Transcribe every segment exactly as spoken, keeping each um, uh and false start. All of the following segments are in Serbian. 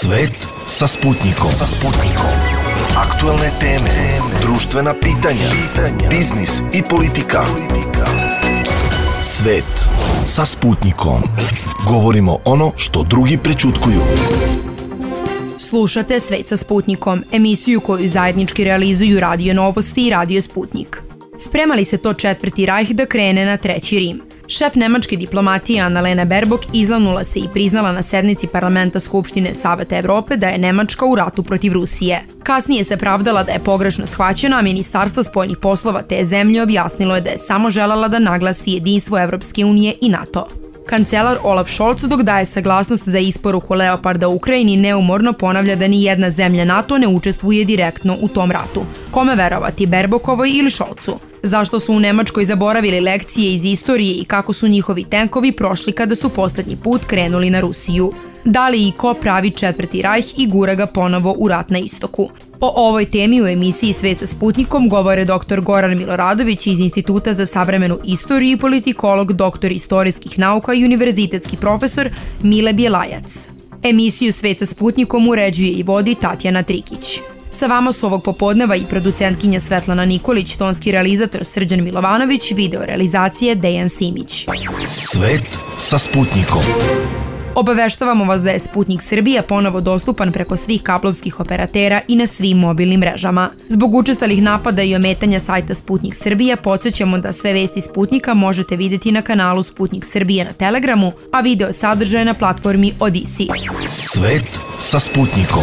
Svet sa Sputnikom. Sa Sputnikom. Aktuelne teme, društvena pitanja, biznis i politika. Svet sa Sputnikom. Govorimo ono što drugi prećutkuju. Slušate Svet sa Sputnikom, emisiju koju zajednički realizuju Radio Novosti i Radio Sputnik. Sprema li se to četvrti rajh da krene na treći Rim? Šef nemačke diplomatije Annalena Baerbock izlanula se i priznala na sednici parlamenta Skupštine Saveta Evrope da je Nemačka u ratu protiv Rusije. Kasnije se pravdala da je pogrešno shvaćena, a Ministarstvo spoljnih poslova te zemlje objasnilo je da je samo želela da naglasi jedinstvo Evropske unije i NATO. Kancelar Olaf Scholz, dok daje saglasnost za isporuku Leoparda Ukrajini, neumorno ponavlja da ni jedna zemlja NATO ne učestvuje direktno u tom ratu. Kome verovati, Baerbockovoj ili Scholzu? Zašto su u Nemačkoj zaboravili lekcije iz istorije i kako su njihovi tenkovi prošli kada su poslednji put krenuli na Rusiju? Da li i ko pravi četvrti rajh i gura ga ponovo u rat na istoku? O ovoj temi u emisiji Svet sa Sputnikom govore doktor Goran Miloradović iz Instituta za savremenu istoriju i politikolog, doktor istorijskih nauka i univerzitetski profesor Mile Bjelajac. Emisiju Svet sa Sputnikom uređuje i vodi Tatjana Trikić. Sa vama su ovog popodneva i producentkinja Svetlana Nikolić, tonski realizator Srđan Milovanović, video realizacije Dejan Simić. Svet sa Sputnikom. Obaveštavamo vas da je Sputnik Srbija ponovo dostupan preko svih kablovskih operatera i na svim mobilnim mrežama. Zbog učestalih napada i ometanja sajta Sputnik Srbija, podsjećamo da sve vesti Sputnika možete vidjeti na kanalu Sputnik Srbija na Telegramu, a video sadržaje na platformi Odisi. Svet sa Sputnikom.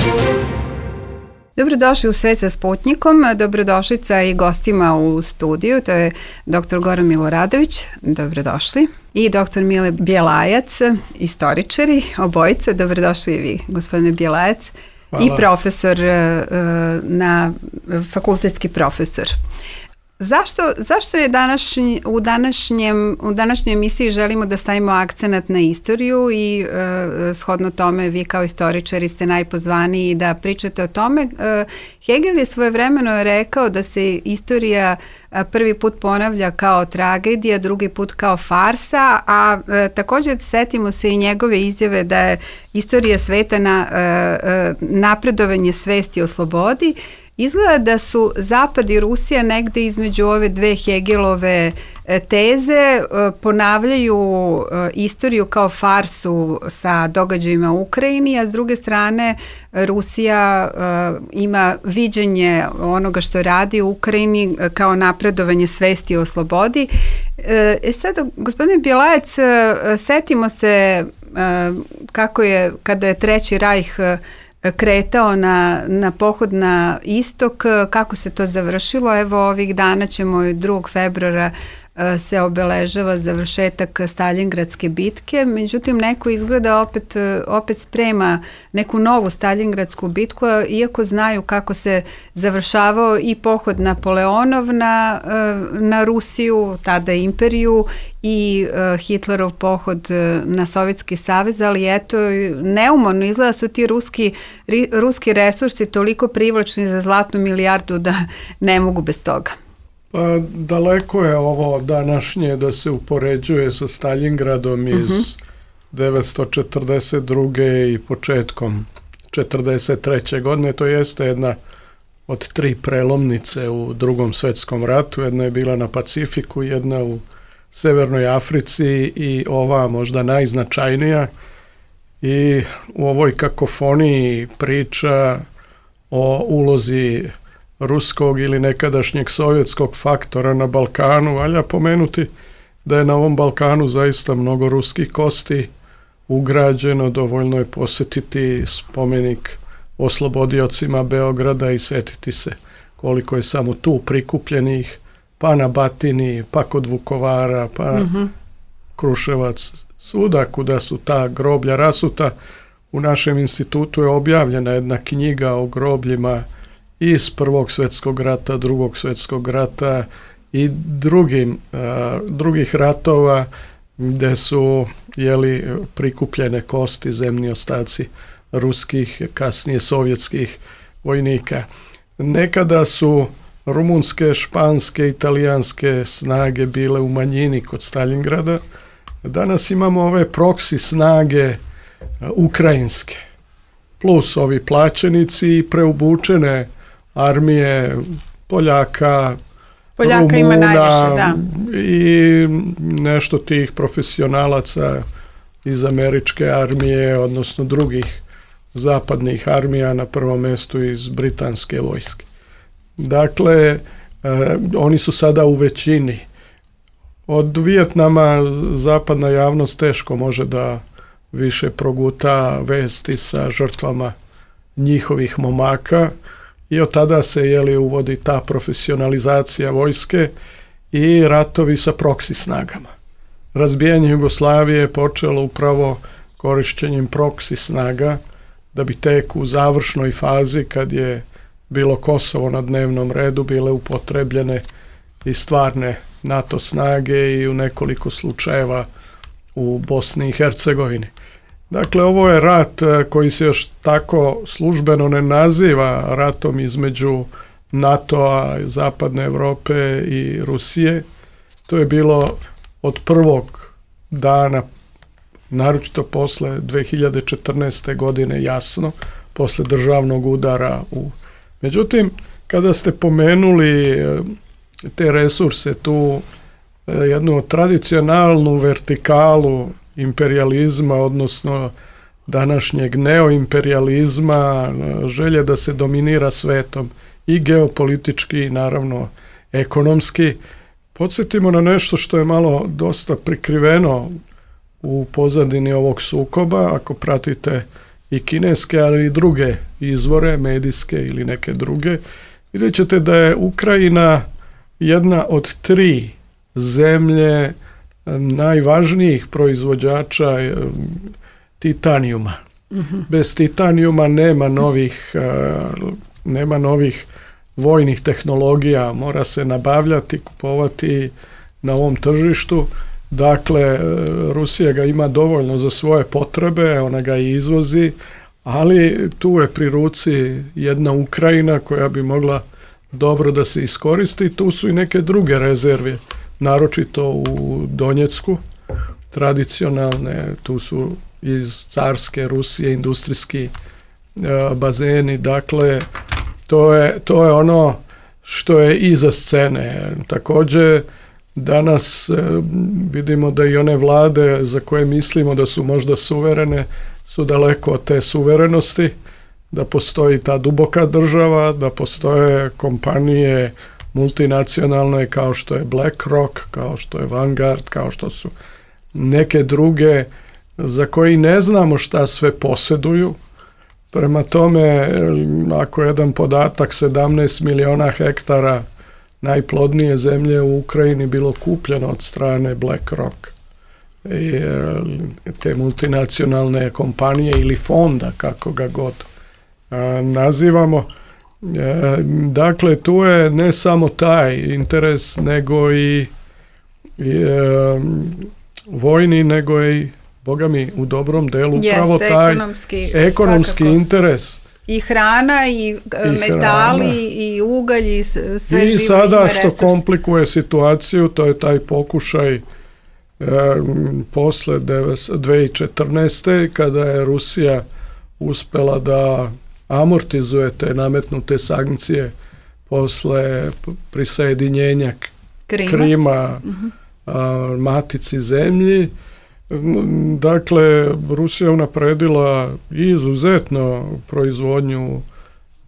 Dobrodošli u Svet sa Sputnikom, dobrodošlica i gostima u studiju, to je doktor Goran Miloradović, dobrodošli, i doktor Mile Bjelajac, istoričari, obojica, dobrodošli i vi, gospodine Bjelajac. Hvala. I profesor, na, fakultetski profesor. Zašto, zašto je današnji, u, današnjem, u današnjoj emisiji želimo da stavimo akcenat na istoriju i e, shodno tome vi kao istoričari ste najpozvaniji da pričate o tome. E, Hegel je svojevremeno rekao da se istorija prvi put ponavlja kao tragedija, drugi put kao farsa, a e, također setimo se i njegove izjave da je istorija sveta na e, napredovanje svesti o slobodi. Izgleda da su Zapad i Rusija negde između ove dve Hegelove teze, ponavljaju istoriju kao farsu sa događajima u Ukrajini, a s druge strane Rusija ima viđenje onoga što radi u Ukrajini kao napredovanje svesti o slobodi. E sad, gospodine Bjelajac, setimo se kako je, kada je Treći rajh kretao na, na pohod na istok, kako se to završilo. Evo ovih dana ćemo drugog februara se obeležava završetak Staljingradske bitke, međutim neko izgleda opet, opet sprema neku novu Staljingradsku bitku, iako znaju kako se završavao i pohod Napoleonov na, na Rusiju, tada imperiju, i Hitlerov pohod na Sovjetski savez, ali eto, neumorno izgleda su ti ruski, ruski resursi toliko privlačni za zlatnu milijardu da ne mogu bez toga. Pa daleko je ovo današnje da se upoređuje sa Staljingradom iz uh-huh. devetsto četrdeset druge i početkom četrdeset treće godine. To jeste jedna od tri prelomnice u Drugom svetskom ratu. Jedna je bila na Pacifiku, jedna u Severnoj Africi i ova možda najznačajnija. I u ovoj kakofoniji priča o ulozi ruskog ili nekadašnjeg sovjetskog faktora na Balkanu, valja pomenuti da je na ovom Balkanu zaista mnogo ruskih kosti ugrađeno, dovoljno je posjetiti spomenik oslobodiocima Beograda i setiti se koliko je samo tu prikupljenih, pa na Batini, pa kod Vukovara, pa mm-hmm. Kruševac, svuda kuda su ta groblja rasuta. U našem institutu je objavljena jedna knjiga o grobljima iz Prvog svjetskog rata, Drugog svjetskog rata i drugim, uh, drugih ratova gdje su jeli, prikupljene kosti, zemni ostaci ruskih, kasnije sovjetskih vojnika. Nekada su rumunske, španske, italijanske snage bile u manjini kod Staljingrada. Danas imamo ove proksi snage uh, ukrajinske. plus ovi plaćenici i preobučene armije Poljaka, Poljaka Rumuna ima najviše, da. I nešto tih profesionalaca iz američke armije, odnosno drugih zapadnih armija, na prvom mjestu iz britanske vojske. Dakle, eh, oni su sada u većini. Od Vijetnama zapadna javnost teško može da više proguta vesti sa žrtvama njihovih momaka i od tada se jeli, uvodi ta profesionalizacija vojske i ratovi sa proksi snagama. Razbijanje Jugoslavije je počelo upravo korišćenjem proksi snaga, da bi tek u završnoj fazi, kad je bilo Kosovo na dnevnom redu, bile upotrebljene i stvarne NATO snage i u nekoliko slučajeva u Bosni i Hercegovini. Dakle, ovo je rat koji se još tako službeno ne naziva ratom između NATO-a, Zapadne Europe i Rusije. To je bilo od prvog dana, naročito posle dve hiljade četrnaeste. godine, jasno, posle državnog udara. U... Međutim, kada ste pomenuli te resurse, tu jednu tradicionalnu vertikalu imperializma, odnosno današnjeg neoimperializma, želje da se dominira svetom i geopolitički i naravno ekonomski, podsjetimo na nešto što je malo dosta prikriveno u pozadini ovog sukoba. Ako pratite i kineske, ali i druge izvore, medijske ili neke druge, vidjet ćete da je Ukrajina jedna od tri zemlje najvažnijih proizvođača titanijuma. Mm-hmm. Bez titanijuma nema novih, nema novih vojnih tehnologija, mora se nabavljati, kupovati na ovom tržištu. Dakle, Rusija ga ima dovoljno za svoje potrebe, ona ga i izvozi, ali tu je pri ruci jedna Ukrajina koja bi mogla dobro da se iskoristi. Tu su i neke druge rezerve, naročito u Donjecku, tradicionalne, tu su iz carske Rusije industrijski e, bazeni. Dakle, to je, to je ono što je iza scene. Također, danas e, vidimo da i one vlade za koje mislimo da su možda suverene, su daleko od te suverenosti, da postoji ta duboka država, da postoje kompanije multinacionalne kao što je BlackRock, kao što je Vanguard, kao što su neke druge za koji ne znamo šta sve posjeduju. Prema tome, ako je jedan podatak sedamnaest miliona hektara najplodnije zemlje u Ukrajini bilo kupljeno od strane BlackRock, te multinacionalne kompanije ili fonda, kako ga god a, nazivamo. E, dakle, tu je ne samo taj interes, nego i, i e, vojni, nego i, boga mi, u dobrom delu upravo Jeste, taj ekonomski, ekonomski interes. I hrana, i, I metali, hrana. I ugalj, i sve živo. I sada što komplikuje situaciju, to je taj pokušaj e, posle dve hiljade četrnaeste. kada je Rusija uspela da amortizuje te nametnute sankcije posle prisajedinjenja Krima, Krima uh-huh. a, matici zemlji. Dakle, Rusija unapredila izuzetno proizvodnju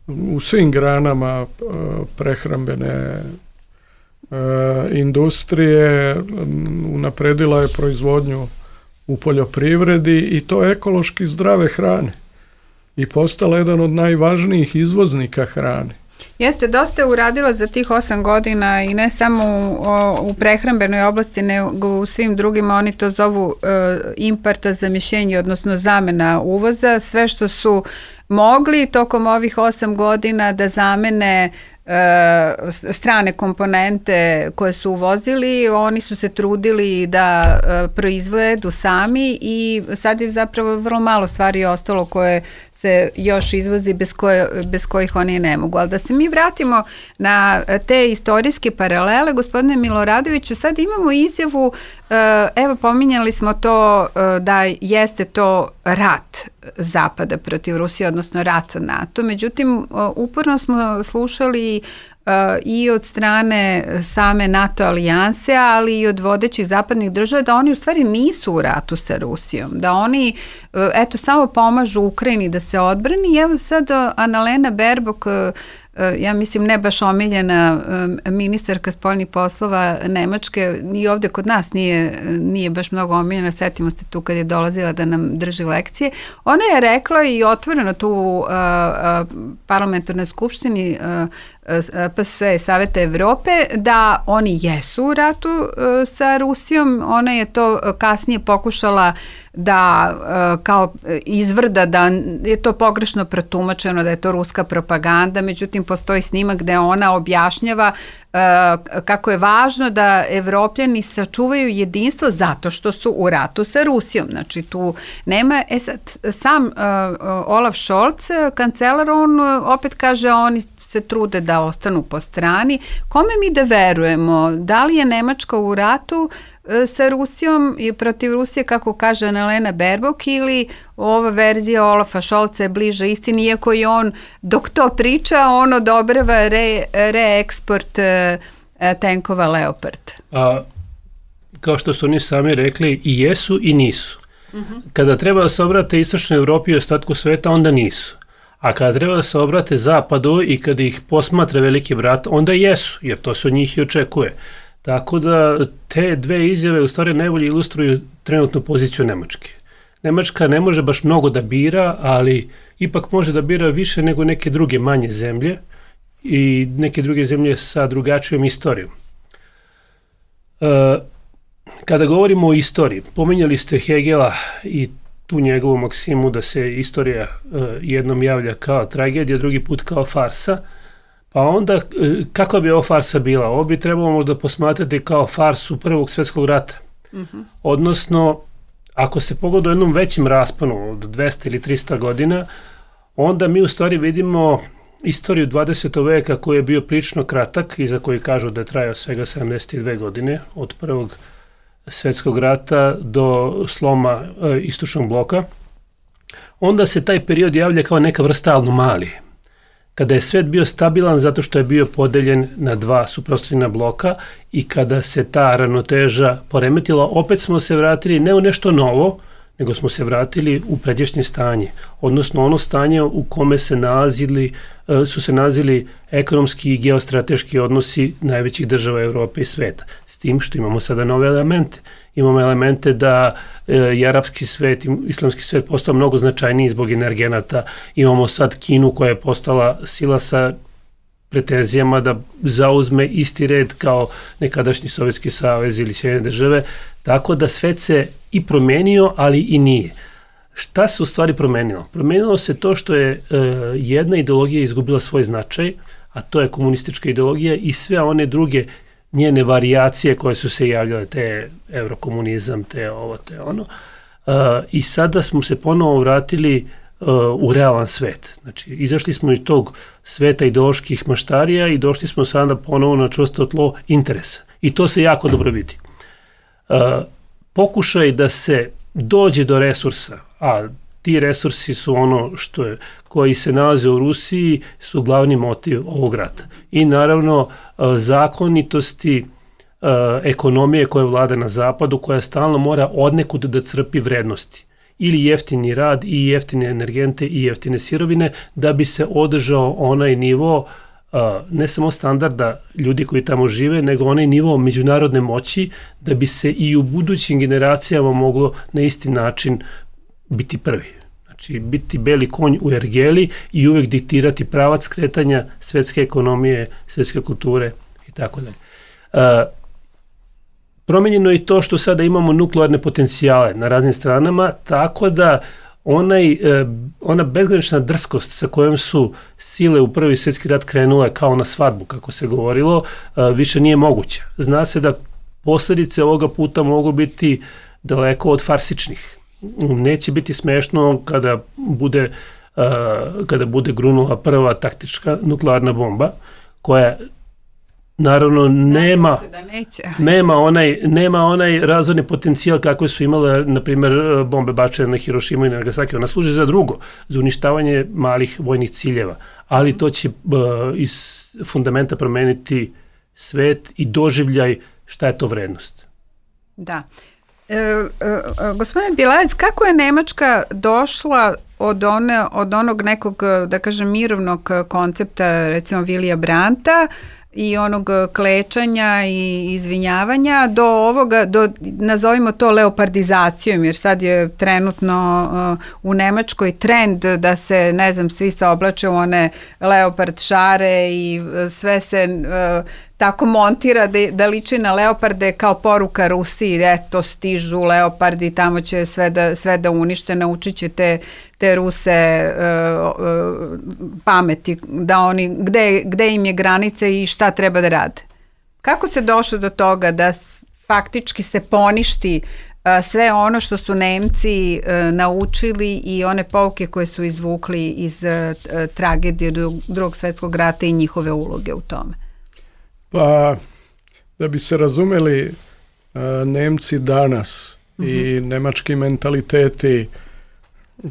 u svim granama prehrambene industrije, unapredila je proizvodnju u poljoprivredi i to ekološki zdrave hrane i postala jedan od najvažnijih izvoznika hrane. Jeste, dosta je uradila za tih osam godina i ne samo u, u prehrambenoj oblasti, nego u svim drugima. Oni to zovu e, importa za mišljenje, odnosno zamena uvoza. Sve što su mogli tokom ovih osam godina da zamene e, strane komponente koje su uvozili, oni su se trudili da e, proizvedu sami i sad je zapravo vrlo malo stvari ostalo koje se još izvozi bez, koje, bez kojih oni ne mogu. Ali da se mi vratimo na te istorijske paralele, gospodine Miloradoviću, sad imamo izjavu, evo pominjali smo to da jeste to rat Zapada protiv Rusije, odnosno rat sa NATO. Međutim, uporno smo slušali Uh, i od strane same NATO alijanse, ali i od vodećih zapadnih država, da oni u stvari nisu u ratu sa Rusijom, da oni uh, eto samo pomažu Ukrajini da se odbrani. I evo sad uh, Annalena Baerbock, uh, ja mislim ne baš omiljena uh, ministarka spoljnih poslova Nemačke, i ovde kod nas nije, nije baš mnogo omiljena, setimo se tu kad je dolazila da nam drži lekcije. Ona je rekla i otvoreno tu u uh, uh, parlamentarnoj skupštini uh, P S E Saveta Evrope da oni jesu u ratu uh, sa Rusijom. Ona je to kasnije pokušala da uh, kao izvrda da je to pogrešno protumačeno, da je to ruska propaganda, međutim postoji snimak gde ona objašnjava uh, kako je važno da Evropljani sačuvaju jedinstvo zato što su u ratu sa Rusijom. Znači tu nema, e sad sam uh, Olaf Scholz, kancelar, on opet kaže oni se trude da ostanu po strani. Kome mi da verujemo? Da li je Nemačka u ratu e, sa Rusijom i protiv Rusije, kako kaže Annalena Baerbock, ili ova verzija Olafa Scholza je bliža istini, iako je on, dok to priča, on odobrava re, reeksport e, tenkova Leopard. A, kao što su oni sami rekli, i jesu i nisu. Uh-huh. Kada treba da se obrate istočnoj Evropi i ostatku sveta, onda nisu. A kada treba da se obrate zapadu i kada ih posmatra veliki brat, onda jesu, jer to se od njih i očekuje. Tako da te dve izjave u stvari najbolje ilustruju trenutnu poziciju Nemačke. Nemačka ne može baš mnogo da bira, ali ipak može da bira više nego neke druge manje zemlje i neke druge zemlje sa drugačijom istorijom. E, kada govorimo o istoriji, pominjali ste Hegela i tu njegovu maksimu da se istorija uh, jednom javlja kao tragedija, drugi put kao farsa, pa onda uh, kakva bi ovo farsa bila? Ovo bi trebalo možda posmatrati kao farsu Prvog svjetskog rata. Uh-huh. Odnosno, ako se pogleda u jednom većem rasponu od dvesta ili trista godina, onda mi u stvari vidimo istoriju dvadesetog veka koji je bio prilično kratak i za koji kažu da je trajao svega sedamdeset dve godine od Prvog svjetskog rata do sloma e, istočnog bloka, onda se taj period javlja kao neka vrsta anomalije. Kada je svet bio stabilan zato što je bio podeljen na dva suprotstavljena bloka i kada se ta ravnoteža poremetila, opet smo se vratili ne u nešto novo, nego smo se vratili u pređašnje stanje, odnosno ono stanje u kome se nalazili, su se nalazili ekonomski i geostrateški odnosi najvećih država Evrope i sveta. S tim što imamo sada nove elemente. Imamo elemente da je arapski svet, islamski svet postao mnogo značajniji zbog energenata. Imamo sad Kinu koja je postala sila sa pretenzijama da zauzme isti red kao nekadašnji Sovjetski savez ili Sjedinjene države, tako da svet se i promenio, ali i nije. Šta se u stvari promenilo? Promenilo se to što je e, jedna ideologija izgubila svoj značaj, a to je komunistička ideologija i sve one druge njene varijacije koje su se javljale, te evrokomunizam, te ovo, te ono. E, I sada smo se ponovo vratili u realan svet. Znači, izašli smo iz tog sveta ideoloških maštarija i došli smo sada ponovo na čvrsto tlo interesa. I to se jako dobro vidi. Uh, pokušaj da se dođe do resursa, a ti resursi su ono što je, koji se nalaze u Rusiji, su glavni motiv ovog rata. I naravno uh, zakonitosti uh, ekonomije koja vlada na zapadu, koja stalno mora odnekud da crpi vrednosti. Ili jeftini rad i jeftine energente i jeftine sirovine da bi se održao onaj nivo uh, ne samo standarda ljudi koji tamo žive, nego onaj nivo međunarodne moći da bi se i u budućim generacijama moglo na isti način biti prvi. Znači biti beli konj u ergeli i uvek diktirati pravac kretanja svetske ekonomije, svetske kulture i tako dalje. Uh, Promenjeno je i to što sada imamo nuklearne potencijale na raznim stranama, tako da onaj, ona bezgranična drskost sa kojom su sile u Prvi svjetski rat krenule kao na svadbu, kako se govorilo, više nije moguća. Zna se da posljedice ovoga puta mogu biti daleko od farsičnih. Neće biti smešno kada bude kada bude grunula prva taktička nuklearna bomba, koja naravno nema, nema, onaj, nema onaj razvojni potencijal kako su imale, na primjer, bombe bačene na Hirošimu i Nagasaki. Ona služi za drugo, za uništavanje malih vojnih ciljeva, ali to će iz fundamenta promeniti svet i doživljaj šta je to vrednost. Da. E, e, gospodine Bjelajac, kako je Nemačka došla od, one, od onog nekog, da kažem, mirovnog koncepta, recimo Vilija Brandta, i onog klečanja i izvinjavanja do ovoga, do, nazovimo to leopardizacijom, jer sad je trenutno uh, u Nemačkoj trend da se, ne znam, svi se oblače u one leopard šare i uh, sve se uh, tako montira da, da liči na leoparde kao poruka Rusiji, eto stižu leopardi, tamo će sve da, sve da unište, naučit će te, te Ruse uh, uh, pameti, da oni, gde, gde im je granica i šta treba da rade. Kako se došlo do toga da faktički se poništi uh, sve ono što su Nemci uh, naučili i one pouke koje su izvukli iz uh, tragedije Drugog svjetskog rata i njihove uloge u tome? Pa, da bi se razumeli uh, Nemci danas mm-hmm. i nemački mentaliteti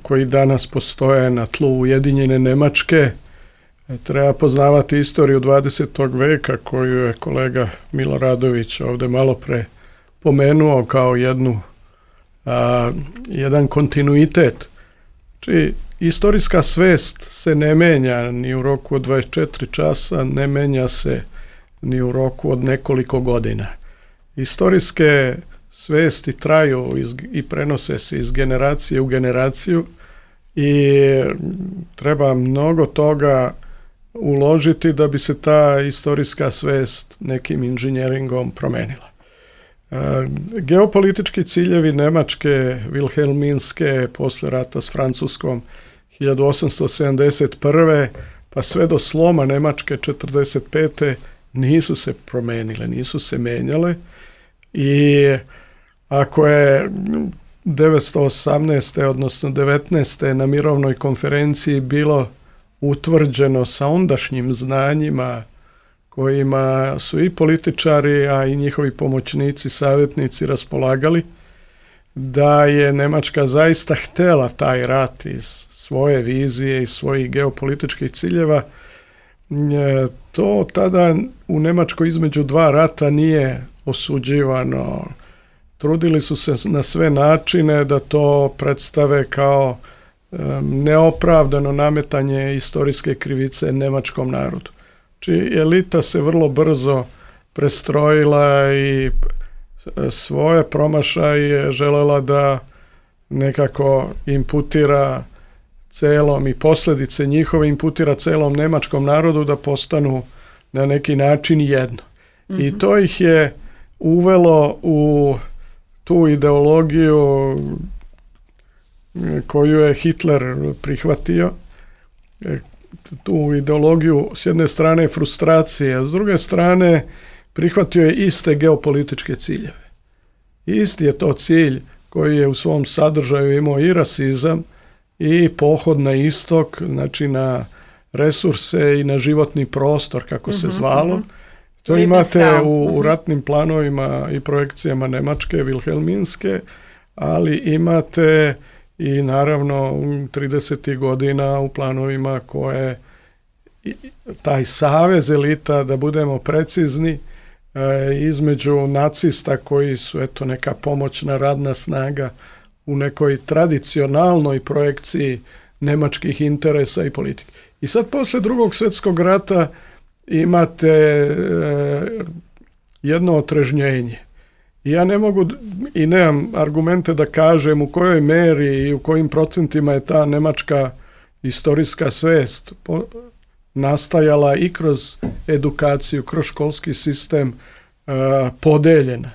koji danas postoje na tlu Ujedinjene Nemačke, treba poznavati istoriju dvadesetog veka koju je kolega Miloradović ovdje malo pre pomenuo kao jednu, a, jedan kontinuitet. Znači, istorijska svest se ne menja ni u roku od dvadeset četiri časa, ne menja se ni u roku od nekoliko godina. Istorijske svesti traju iz, i prenose se iz generacije u generaciju i treba mnogo toga uložiti da bi se ta istorijska svest nekim inženjeringom promenila. E, geopolitički ciljevi Nemačke, Vilhelminske, posle rata s Francuskom hiljadu osamsto sedamdeset prve pa sve do sloma Nemačke četrdeset pete nisu se promenile, nisu se menjale i ako je devetsto osamnaeste odnosno devetnaeste na mirovnoj konferenciji bilo utvrđeno sa ondašnjim znanjima kojima su i političari, a i njihovi pomoćnici, savjetnici raspolagali, da je Nemačka zaista htjela taj rat iz svoje vizije i svojih geopolitičkih ciljeva, to tada u Nemačkoj između dva rata nije osuđivano. Trudili su se na sve načine da to predstave kao neopravdano nametanje istorijske krivice nemačkom narodu. Znači, elita se vrlo brzo prestrojila i svoje promašaje želela da nekako imputira celom i posljedice njihove imputira celom nemačkom narodu da postanu na neki način jedno. Mm-hmm. I to ih je uvelo u tu ideologiju koju je Hitler prihvatio, tu ideologiju s jedne strane frustracije, a s druge strane prihvatio je iste geopolitičke ciljeve. Isti je to cilj koji je u svom sadržaju imao i rasizam i pohod na istok, znači na resurse i na životni prostor, kako se zvalo. To imate u, u ratnim planovima i projekcijama Nemačke, Vilhelminske, ali imate i naravno tridesetih godina u planovima koje taj savez elita, da budemo precizni, između nacista koji su eto neka pomoćna radna snaga u nekoj tradicionalnoj projekciji nemačkih interesa i politike. I sad posle Drugog svjetskog rata imate e, jedno otrežnjenje. I ja ne mogu i nemam argumente da kažem u kojoj meri i u kojim procentima je ta nemačka istorijska svest po, nastajala i kroz edukaciju, kroz školski sistem e, podeljena.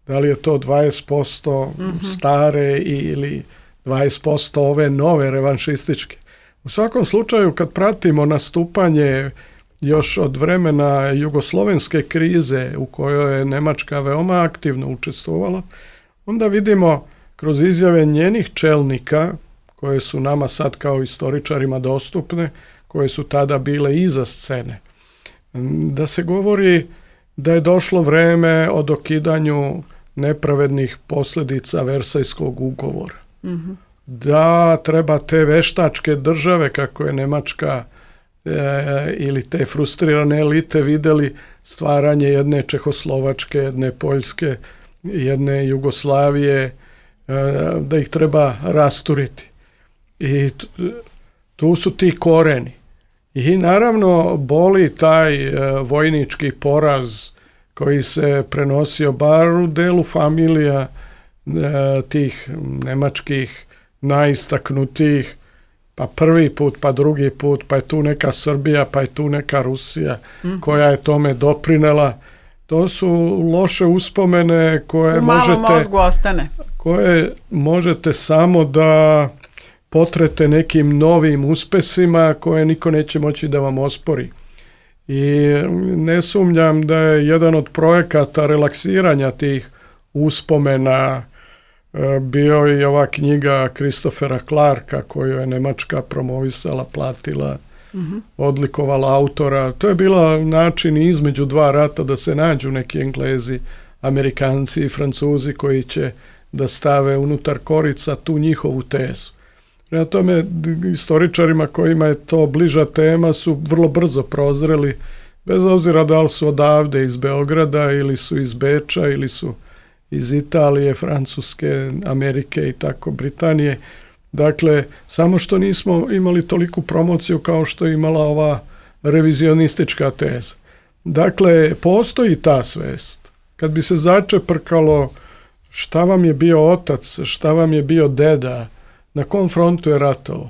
Da li je to dvadeset posto mm-hmm. stare ili dvadeset posto ove nove revanšističke. U svakom slučaju kad pratimo nastupanje još od vremena jugoslovenske krize u kojoj je Nemačka veoma aktivno učestvovala, onda vidimo kroz izjave njenih čelnika koje su nama sad kao istoričarima dostupne, koje su tada bile iza scene. Da se govori da je došlo vreme o dokidanju nepravednih posljedica Versajskog ugovora. Mm-hmm. Da treba te veštačke države, kako je Nemačka e, ili te frustrirane elite vidjeli stvaranje jedne Čehoslovačke, jedne Poljske, jedne Jugoslavije, e, da ih treba rasturiti. I tu su ti koreni. I naravno boli taj e, vojnički poraz koji se prenosio bar u delu familija e, tih nemačkih najistaknutijih, pa prvi put, pa drugi put, pa je tu neka Srbija, pa je tu neka Rusija mm-hmm. koja je tome doprinela. To su loše uspomene koje u malom možete, mozgu ostane. koje možete samo da potrete nekim novim uspesima koje niko neće moći da vam ospori. I ne sumnjam da je jedan od projekata relaksiranja tih uspomena bio i ova knjiga Christophera Clarka koju je Nemačka promovisala, platila, mm-hmm. odlikovala autora. To je bila način između dva rata da se nađu neki Englezi, Amerikanci i Francuzi koji će da stave unutar korica tu njihovu tezu. Prema tome, istoričarima kojima je to bliža tema su vrlo brzo prozreli, bez obzira da li su odavde iz Beograda ili su iz Beča ili su iz Italije, Francuske, Amerike i tako, Britanije. Dakle, samo što nismo imali toliku promociju kao što je imala ova revizionistička teza. Dakle, postoji ta svest. Kad bi se začeprkalo šta vam je bio otac, šta vam je bio deda, na kom frontu je ratovo,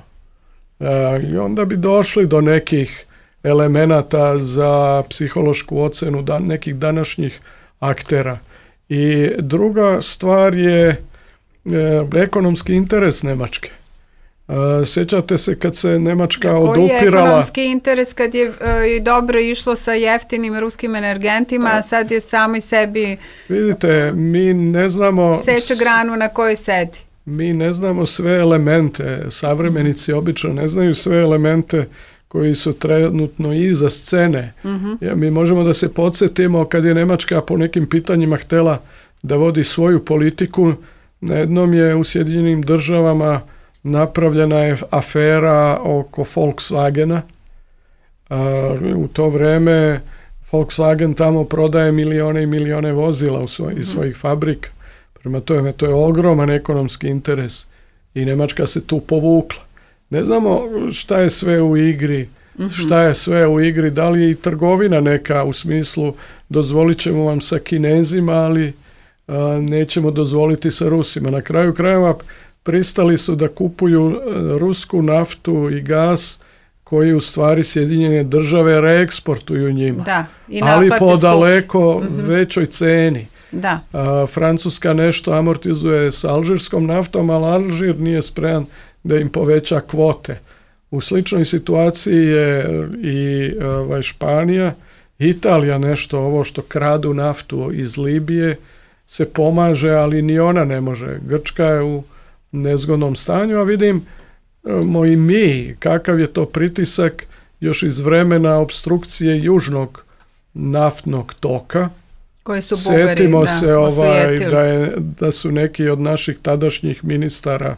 e, i onda bi došli do nekih elemenata za psihološku ocenu da, nekih današnjih aktera. I druga stvar je e, ekonomski interes Nemačke. E, sjećate se kad se Nemačka Koji odupirala... Koji je ekonomski interes kad je e, dobro išlo sa jeftinim ruskim energentima, a sad je sami sebi... Vidite, mi ne znamo... Seče granu na kojoj sedi. Mi ne znamo sve elemente, savremenici obično ne znaju sve elemente koji su trenutno iza scene. Mm-hmm. Ja, mi možemo da se podsjetimo kad je Nemačka po nekim pitanjima htjela da vodi svoju politiku, na jednom je u Sjedinjenim državama napravljena je afera oko Volkswagena. A, u to vrijeme Volkswagen tamo prodaje milione i milione vozila u svoj, mm-hmm. iz svojih fabrika. Prema tome, to je ogroman ekonomski interes i Nemačka se tu povukla. Ne znamo šta je sve u igri, mm-hmm. šta je sve u igri, da li je i trgovina neka u smislu dozvolit ćemo vam sa Kinezima, ali a, nećemo dozvoliti sa Rusima. Na kraju krajeva pristali su da kupuju rusku naftu i gas koji u stvari Sjedinjene države reeksportuju njima, da, i ali po daleko mm-hmm. većoj ceni. Da. A, Francuska nešto amortizuje s alžirskom naftom, ali Alžir nije spreman da im poveća kvote. U sličnoj situaciji je i ovaj, Španija, Italija nešto, ovo što kradu naftu iz Libije se pomaže, ali ni ona ne može. Grčka je u nezgodnom stanju, a vidim i mi kakav je to pritisak još iz vremena obstrukcije južnog naftnog toka. Koji su Bugari, Sjetimo da, se ovaj, da, je, da su neki od naših tadašnjih ministara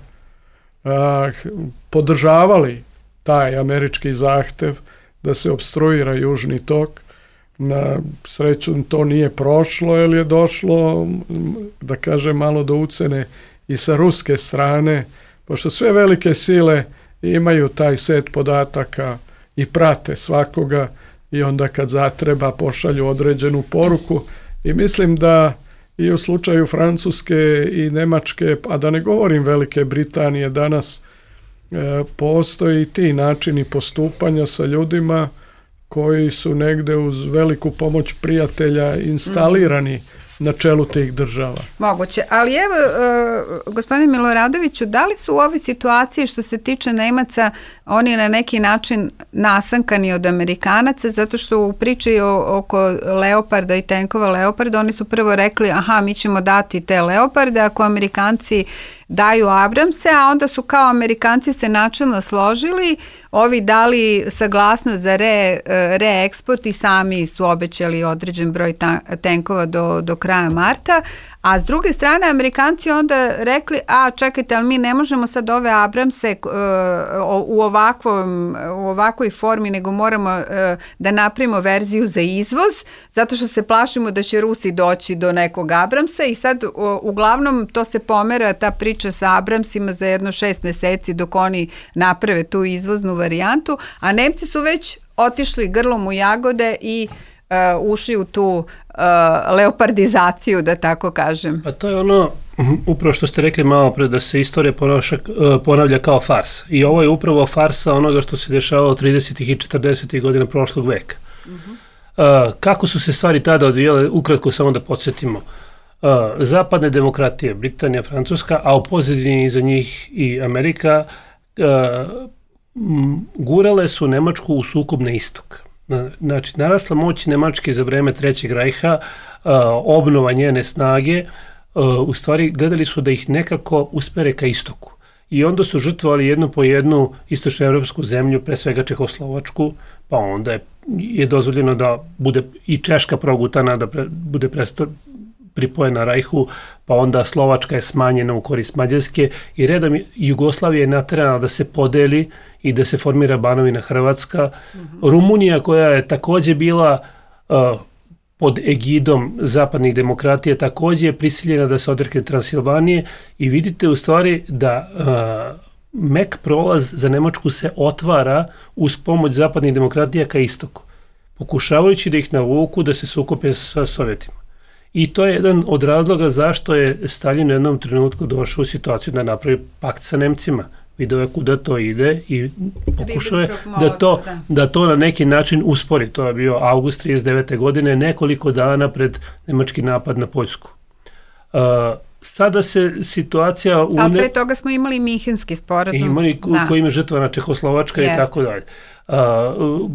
a, podržavali taj američki zahtev da se opstruira južni tok. Na sreću to nije prošlo, jer je došlo, da kažem, malo do ucene i sa ruske strane, pošto sve velike sile imaju taj set podataka i prate svakoga i onda kad zatreba pošalju određenu poruku. I mislim da i u slučaju Francuske i Nemačke, a da ne govorim Velike Britanije, danas e, postoji ti načini postupanja sa ljudima koji su negde uz veliku pomoć prijatelja instalirani na čelu tih država. Moguće, ali evo, uh, gospodine Miloradoviću, da li su u ovoj situaciji što se tiče Nemaca oni na neki način nasankani od Amerikanaca, zato što u priči o, oko Leoparda i tenkova Leoparda oni su prvo rekli aha, mi ćemo dati te Leoparde, ako Amerikanci daju Abramse, a onda su kao Amerikanci se načelno složili, ovi dali saglasnost za re, reeksport i sami su obećali određen broj ta, tenkova do, do kraja marta, a s druge strane Amerikanci onda rekli, a čekajte, ali mi ne možemo sad ove Abramse uh, u, ovakvom, u ovakvoj formi, nego moramo uh, da napravimo verziju za izvoz, zato što se plašimo da će Rusi doći do nekog Abramsa i sad uh, uglavnom to se pomera, ta priča sa Abramsima za jedno šest meseci dok oni naprave tu izvoznu varijantu, a Nemci su već otišli grlom u jagode i Uh, ušli u tu uh, leopardizaciju, da tako kažem. Pa to je ono, upravo što ste rekli malo pre, da se istorija ponaša, uh, ponavlja kao fars. I ovo je upravo farsa onoga što se dešavalo tridesetih i četrdesetih godina prošlog veka. Uh-huh. Uh, kako su se stvari tada odvijale, ukratko samo da podsjetimo. Uh, zapadne demokratije, Britanija, Francuska, a u pozadini za njih i Amerika, uh, m, gurale su Nemačku u sukob na istok. Znači, narasla moć Nemačke za vreme Trećeg rajha, uh, obnova njene snage, uh, u stvari gledali su da ih nekako usmere ka istoku. I onda su žrtvovali jednu po jednu istočnoevropsku zemlju, pre svega Čehoslovačku, pa onda je, je dozvoljeno da bude i Češka progutana, da pre, bude presto, pripojena Rajhu, pa onda Slovačka je smanjena u korist Mađarske i redom Jugoslavija je naterana da se podeli i da se formira Banovina Hrvatska. Mm-hmm. Rumunija, koja je takođe bila uh, pod egidom zapadnih demokratija, takođe je prisiljena da se odrekne Transilvanije i vidite u stvari da uh, mek prolaz za Nemačku se otvara uz pomoć zapadnih demokratija ka istoku, pokušavajući da ih navuku da se sukope sa Sovjetima. I to je jedan od razloga zašto je Stalin u jednom trenutku došao u situaciju da napravi pakt sa Nemcima. Video je kuda to ide i pokušao je da to, da to na neki način uspori. To je bio avgust trideset devete godine, nekoliko dana pred nemački napad na Poljsku. Uh, sada se situacija... U A pre toga smo imali Minhenski sporazum. Imali da. Koji ima žrtvana Čehoslovačka Jest. I tako dalje. Uh,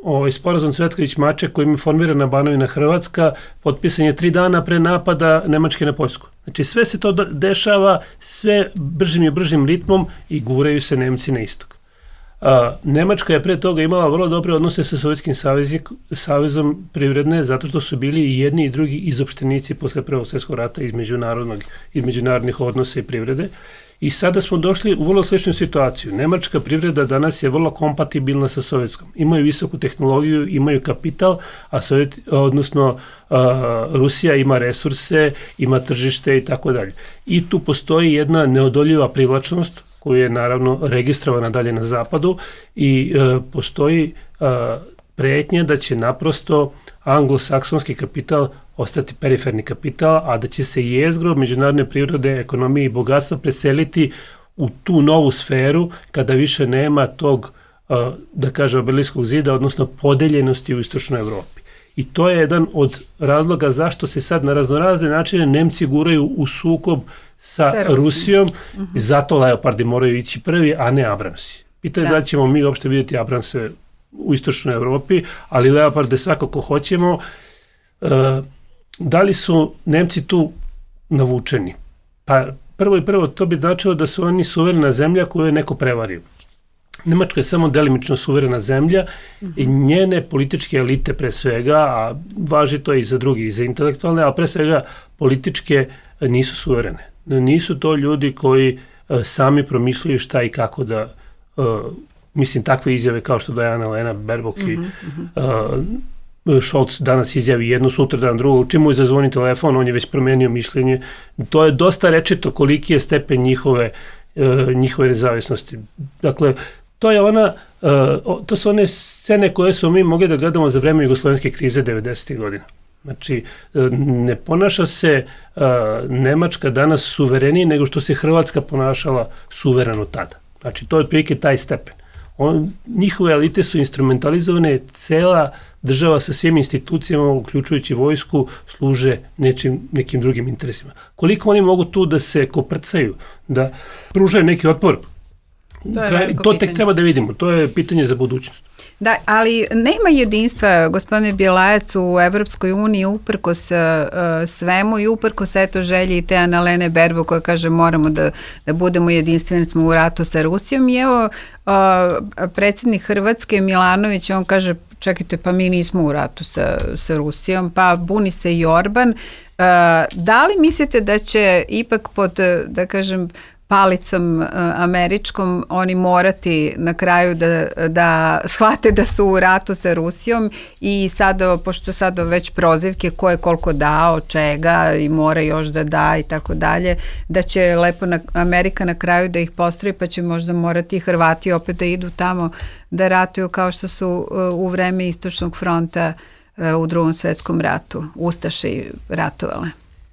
Ovaj sporazum Cvetković-Maček kojim je formirana Banovina Hrvatska potpisan je tri dana pre napada Nemačke na Poljsku. Znači sve se to dešava sve bržim i bržim ritmom i guraju se Nemci na istok. A, Nemačka je pre toga imala vrlo dobre odnose sa Sovjetskim savezom privredne zato što su bili i jedni i drugi izopštenici posle Prvog svjetskog rata iz međunarodnog iz međunarodnih odnosa i privrede. I sada smo došli u vrlo sličnu situaciju. Nemačka privreda danas je vrlo kompatibilna sa sovjetskom. Imaju visoku tehnologiju, imaju kapital, a Sovjet, odnosno uh, Rusija ima resurse, ima tržište i tako dalje. I tu postoji jedna neodoljiva privlačnost koja je naravno registrovana dalje na zapadu i uh, postoji uh, pretnja da će naprosto anglosaksonski kapital ostati periferni kapital, a da će se jezgro međunarodne prirode, ekonomije i bogatstva preseliti u tu novu sferu kada više nema tog, da kažem, Berlinskog zida, odnosno podeljenosti u istočnoj Evropi. I to je jedan od razloga zašto se sad na raznorazne načine Nemci guraju u sukob sa, sa Rusijom, uh-huh. Zato Leopardi moraju ići prvi, a ne Abramsi. Pitanje da. da ćemo mi uopšte vidjeti Abramse u istočnoj Evropi, ali Leoparde svakako hoćemo. Uh, Da li su Nemci tu navučeni? Pa prvo i prvo to bi značilo da su oni suverena zemlja koju je neko prevario. Nemačka je samo delimično suverena zemlja mm-hmm. i njene političke elite pre svega, a važi to i za drugi, i za intelektualne, a pre svega političke nisu suverene. Nisu to ljudi koji uh, sami promišljaju šta i kako da, uh, mislim, takve izjave kao što daje Annalena Baerbock i mm-hmm. uh, Scholz danas izjavi jedno, sutra dan drugo, čim mu je zazvoni telefon, on je već promenio mišljenje. To je dosta rečito koliki je stepen njihove, uh, njihove nezavisnosti. Dakle, to je ona, uh, to su one scene koje smo mi mogli da gledamo za vreme jugoslovenske krize devedesetih godina. Znači, uh, ne ponaša se uh, Nemačka danas suverenije nego što se Hrvatska ponašala suvereno tada. Znači, to je otprilike taj stepen. On, njihove elite su instrumentalizovane, cela država sa svim institucijama, uključujući vojsku, služe nečim, nekim drugim interesima. Koliko oni mogu tu da se koprcaju, da pružaju neki otpor? To, to tek treba da vidimo, to je pitanje za budućnost. Da, ali nema jedinstva, gospodine Bjelajac, u Evropskoj uniji uprkos uh, svemu i uprkos eto želji i te Annalene Baerbock koja kaže moramo da, da budemo jedinstveni, smo u ratu sa Rusijom i evo uh, predsjednik Hrvatske Milanović, on kaže čekajte, pa mi nismo u ratu sa, sa Rusijom, pa buni se i Orban. Uh, da li mislite da će ipak pod, da kažem, palicom uh, američkom oni morati na kraju da, da shvate da su u ratu sa Rusijom i sada, pošto sada već prozivke ko je koliko dao, čega i mora još da da i tako dalje, da će lepo na, Amerika na kraju da ih postroji pa će možda morati i Hrvati opet da idu tamo da ratuju kao što su uh, u vreme Istočnog fronta uh, u Drugom svjetskom ratu Ustaše ratovale.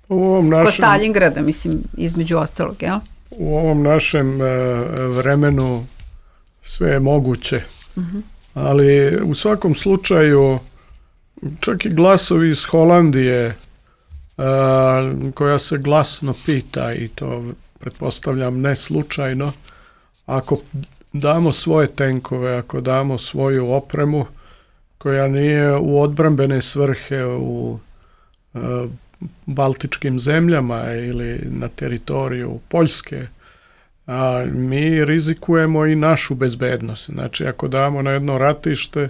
U ovom našem... Ko Stalingrada, mislim, između ostalog, jel? U ovom našem e, vremenu sve je moguće, uh-huh. ali u svakom slučaju čak i glasovi iz Holandije e, koja se glasno pita i to pretpostavljam ne slučajno, ako damo svoje tenkove, ako damo svoju opremu koja nije u odbrambene svrhe u e, baltičkim zemljama ili na teritoriju Poljske, a mi rizikujemo i našu bezbednost. Znači, ako damo na jedno ratište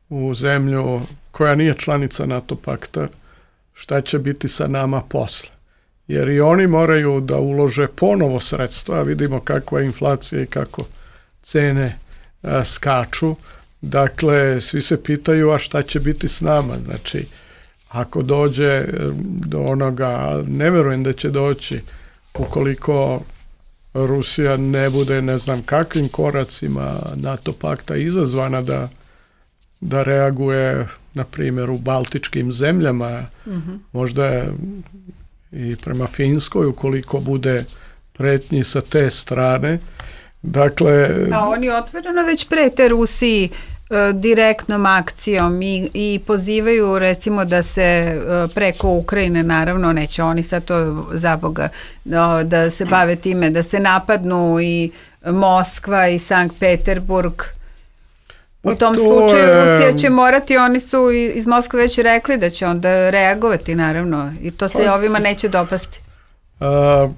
u zemlju koja nije članica NATO pakta, šta će biti sa nama posle? Jer i oni moraju da ulože ponovo sredstva, vidimo kakva je inflacija i kako cene a, skaču. Dakle, svi se pitaju, a šta će biti s nama? Znači, ako dođe do onoga, ne verujem da će doći, ukoliko Rusija ne bude ne znam kakvim koracima NATO pakta izazvana da, da reaguje, na primjer, u baltičkim zemljama, mm-hmm. možda i prema Finskoj, ukoliko bude pretnji sa te strane. Dakle, a oni otvoreno već prete Rusiji direktnom akcijom i, i pozivaju recimo da se preko Ukrajine, naravno neće oni sad to za Boga da, da se bave time, da se napadnu i Moskva i Sankt Peterburg. U tom to slučaju je... Rusija će morati, oni su iz Moskve već rekli da će onda reagovati, naravno, i to se pa, ovima neće dopasti. A,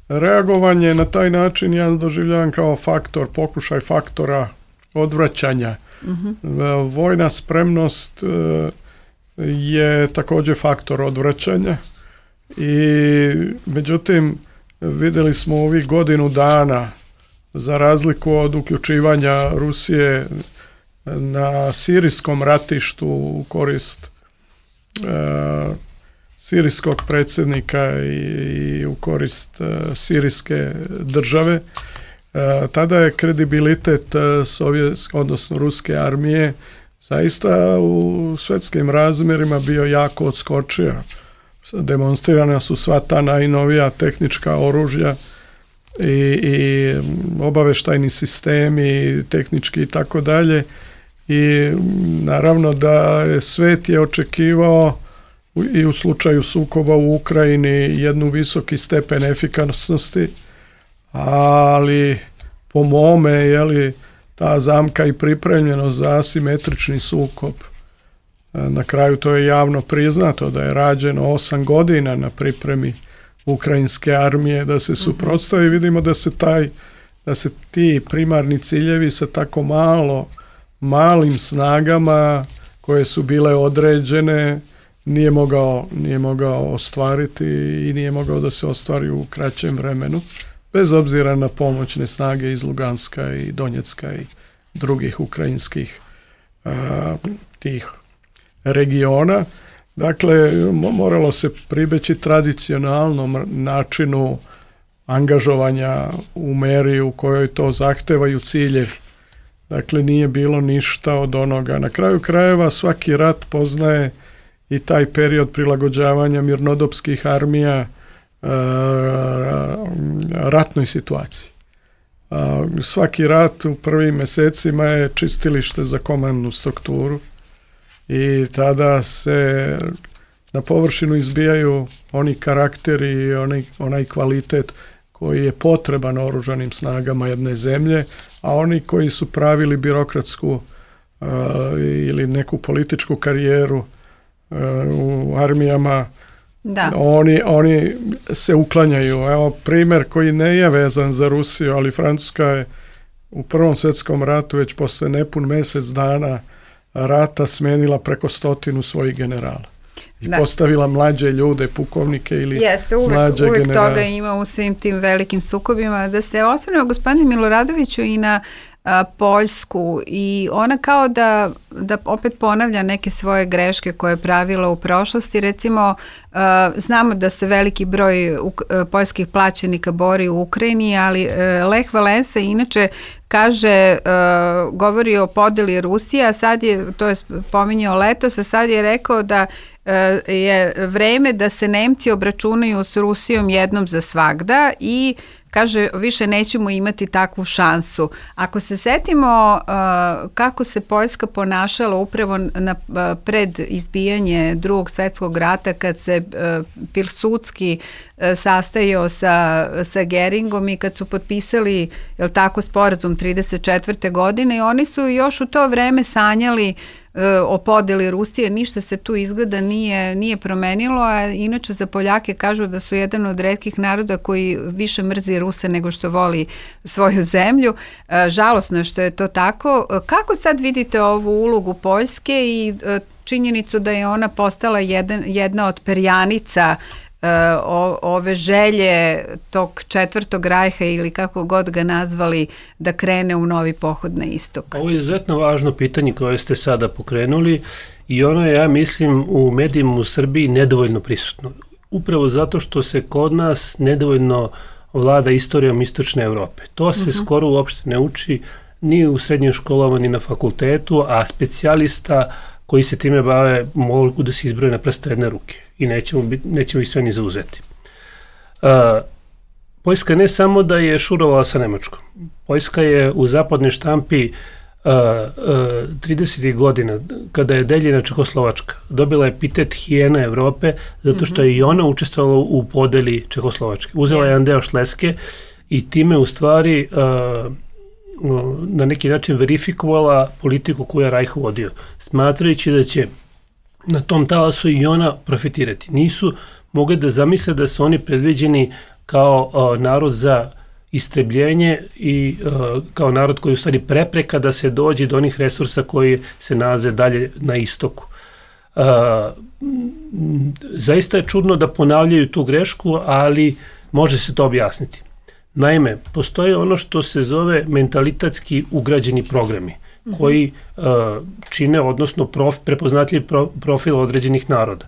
reagovanje na taj način ja doživljavam kao faktor, pokušaj faktora odvraćanja. Uh-huh. Vojna spremnost je također faktor odvraćanja i međutim vidjeli smo ovih godinu dana, za razliku od uključivanja Rusije na sirijskom ratištu u korist uh, sirijskog predsjednika i, i u korist uh, sirijske države, Uh, tada je kredibilitet uh, sovjetske, odnosno ruske armije zaista u svjetskim razmjerima bio jako odskočio. Demonstrirana su sva ta najnovija tehnička oružja i, i obavještajni sistemi, tehnički i tako dalje. I naravno da je svijet je očekivao i u slučaju sukoba u Ukrajini jednu visoki stepen efikasnosti, ali po mome je li ta zamka i pripremljenost za asimetrični sukob. Na kraju to je javno priznato da je rađeno osam godina na pripremi ukrajinske armije da se suprotstavi. Vidimo da se taj, da se ti primarni ciljevi sa tako malo, malim snagama koje su bile određene nije mogao, nije mogao ostvariti i nije mogao da se ostvari u kraćem vremenu, bez obzira na pomoćne snage iz Luganska i Donjecka i drugih ukrajinskih a, tih regiona. Dakle, moralo se pribeći tradicionalnom načinu angažovanja u meri u kojoj to zahtevaju ciljevi. Dakle, nije bilo ništa od onoga. Na kraju krajeva svaki rat poznaje i taj period prilagođavanja mirnodopskih armija ratnoj situaciji. Svaki rat u prvim mjesecima je čistilište za komandnu strukturu i tada se na površinu izbijaju oni karakteri i onaj, onaj kvalitet koji je potreban oružanim snagama jedne zemlje, a oni koji su pravili birokratsku ili neku političku karijeru u armijama, da. Oni, oni se uklanjaju. Evo primjer koji ne je vezan za Rusiju, ali Francuska je u Prvom svjetskom ratu već posle nepun mjesec dana rata smenila preko stotinu svojih generala. I da. Postavila mlađe ljude, pukovnike ili Jeste, uvek, mlađe uvek generale. Toga ima u svim tim velikim sukobima. Da se osvrnemo gospodine Miloradoviću i na a, Poljsku, i ona kao da, da opet ponavlja neke svoje greške koje je pravila u prošlosti. Recimo, a, znamo da se veliki broj uk, a, poljskih plaćenika bori u Ukrajini, ali a, Lech Walesa inače kaže, uh, govori o podeli Rusije, a sad je, to je pominjao letos, a sad je rekao da uh, je vreme da se Nemci obračunaju s Rusijom jednom za svagda i kaže, više nećemo imati takvu šansu. Ako se setimo uh, kako se Poljska ponašala upravo na, uh, pred izbijanje drugog svjetskog rata, kad se uh, Pilsudski uh, sastajao sa, sa Geringom i kad su potpisali, jel tako, sporazum trideset četvrte godine, i oni su još u to vreme sanjali o podeli Rusije, ništa se tu izgleda nije, nije promenilo, a inače za Poljake kažu da su jedan od retkih naroda koji više mrzi Ruse nego što voli svoju zemlju. Žalosno je što je to tako. Kako sad vidite ovu ulogu Poljske i činjenicu da je ona postala jedan, jedna od perjanica O, ove želje tog četvrtog rajha, ili kako god ga nazvali, da krene u novi pohod na istok? Ovo je izuzetno važno pitanje koje ste sada pokrenuli i ono je, ja mislim, u medijima u Srbiji nedovoljno prisutno. Upravo zato što se kod nas nedovoljno vlada istorijom istočne Evrope. To se uh-huh. skoro uopšte ne uči ni u srednjim školama, ni na fakultetu, a specijalista koji se time bave mogu da se izbroje na prste jedne ruke i nećemo, biti, nećemo ih sve ni zauzeti. Uh, Poljska ne samo da je šurovala sa Nemačkom. Poljska je u zapadnoj štampi uh, uh, tridesetih godina, kada je deljena Čehoslovačka, dobila epitet hijena Evrope, zato što je i ona učestvovala u podeli Čehoslovačke. Uzela je jedan deo Šleske i time u stvari uh, na neki način verifikovala politiku koju je Rajh vodio, smatrajući da će na tom talasu i ona profitirati. Nisu mogli da zamisle da su oni predviđeni kao uh, narod za istrebljenje i uh, kao narod koji je u stvari prepreka da se dođe do onih resursa koji se nalaze dalje na istoku. Uh, zaista je čudno da ponavljaju tu grešku, ali može se to objasniti. Naime, postoji ono što se zove mentalitetski ugrađeni programi, mm-hmm. koji uh, čine, odnosno prof, prepoznatljiv pro, profil određenih naroda.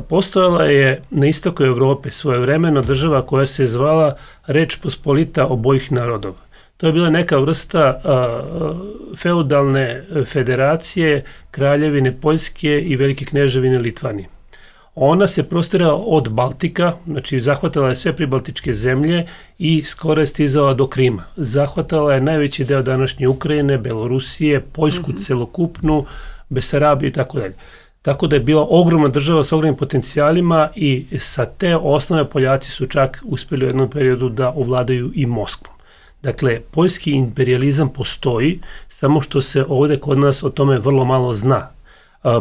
Postojala je na istoku Evrope svojevremeno država koja se zvala Reč Pospolita obojih narodova. To je bila neka vrsta uh, feudalne federacije Kraljevine Poljske i Velike kneževine Litvanije. Ona se prostirala od Baltika, znači zahvatala je sve pribaltičke zemlje i skoro je stizala do Krima. Zahvatala je najveći deo današnje Ukrajine, Belorusije, Poljsku mm-hmm. celokupnu, Besarabiju i tako dalje. Tako da je bila ogromna država s ogromnim potencijalima i sa te osnove Poljaci su čak uspjeli u jednom periodu da ovladaju i Moskvom. Dakle, poljski imperializam postoji, samo što se ovdje kod nas o tome vrlo malo zna.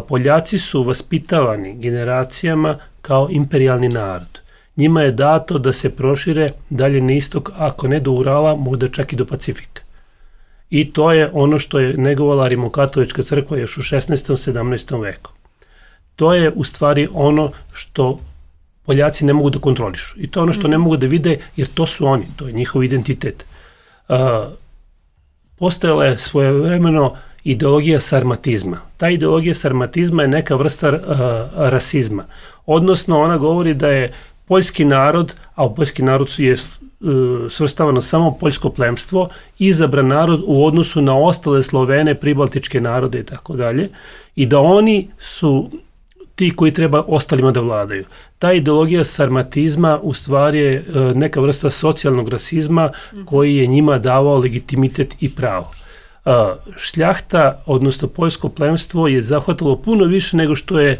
Poljaci su vaspitavani generacijama kao imperijalni narod. Njima je dato da se prošire dalje na istok, ako ne do Urala, možda čak i do Pacifika. I to je ono što je negovala Rimokatolička crkva još u šesnaestom sedamnaestom veku. To je u stvari ono što Poljaci ne mogu da kontrolišu. I to je ono što ne mogu da vide, jer to su oni, to je njihov identitet. Uh, postojala je svojevremeno ideologija sarmatizma. Ta ideologija sarmatizma je neka vrsta uh, rasizma. Odnosno, ona govori da je poljski narod, a u poljski narod je uh, svrstavano samo poljsko plemstvo, izabran narod u odnosu na ostale Slovene, pribaltičke narode i tako dalje, i da oni su ti koji treba ostalima da vladaju. Ta ideologija sarmatizma u stvari je uh, neka vrsta socijalnog rasizma koji je njima davao legitimitet i pravo. šljahta, odnosno poljsko plemstvo je zahvatalo puno više nego što je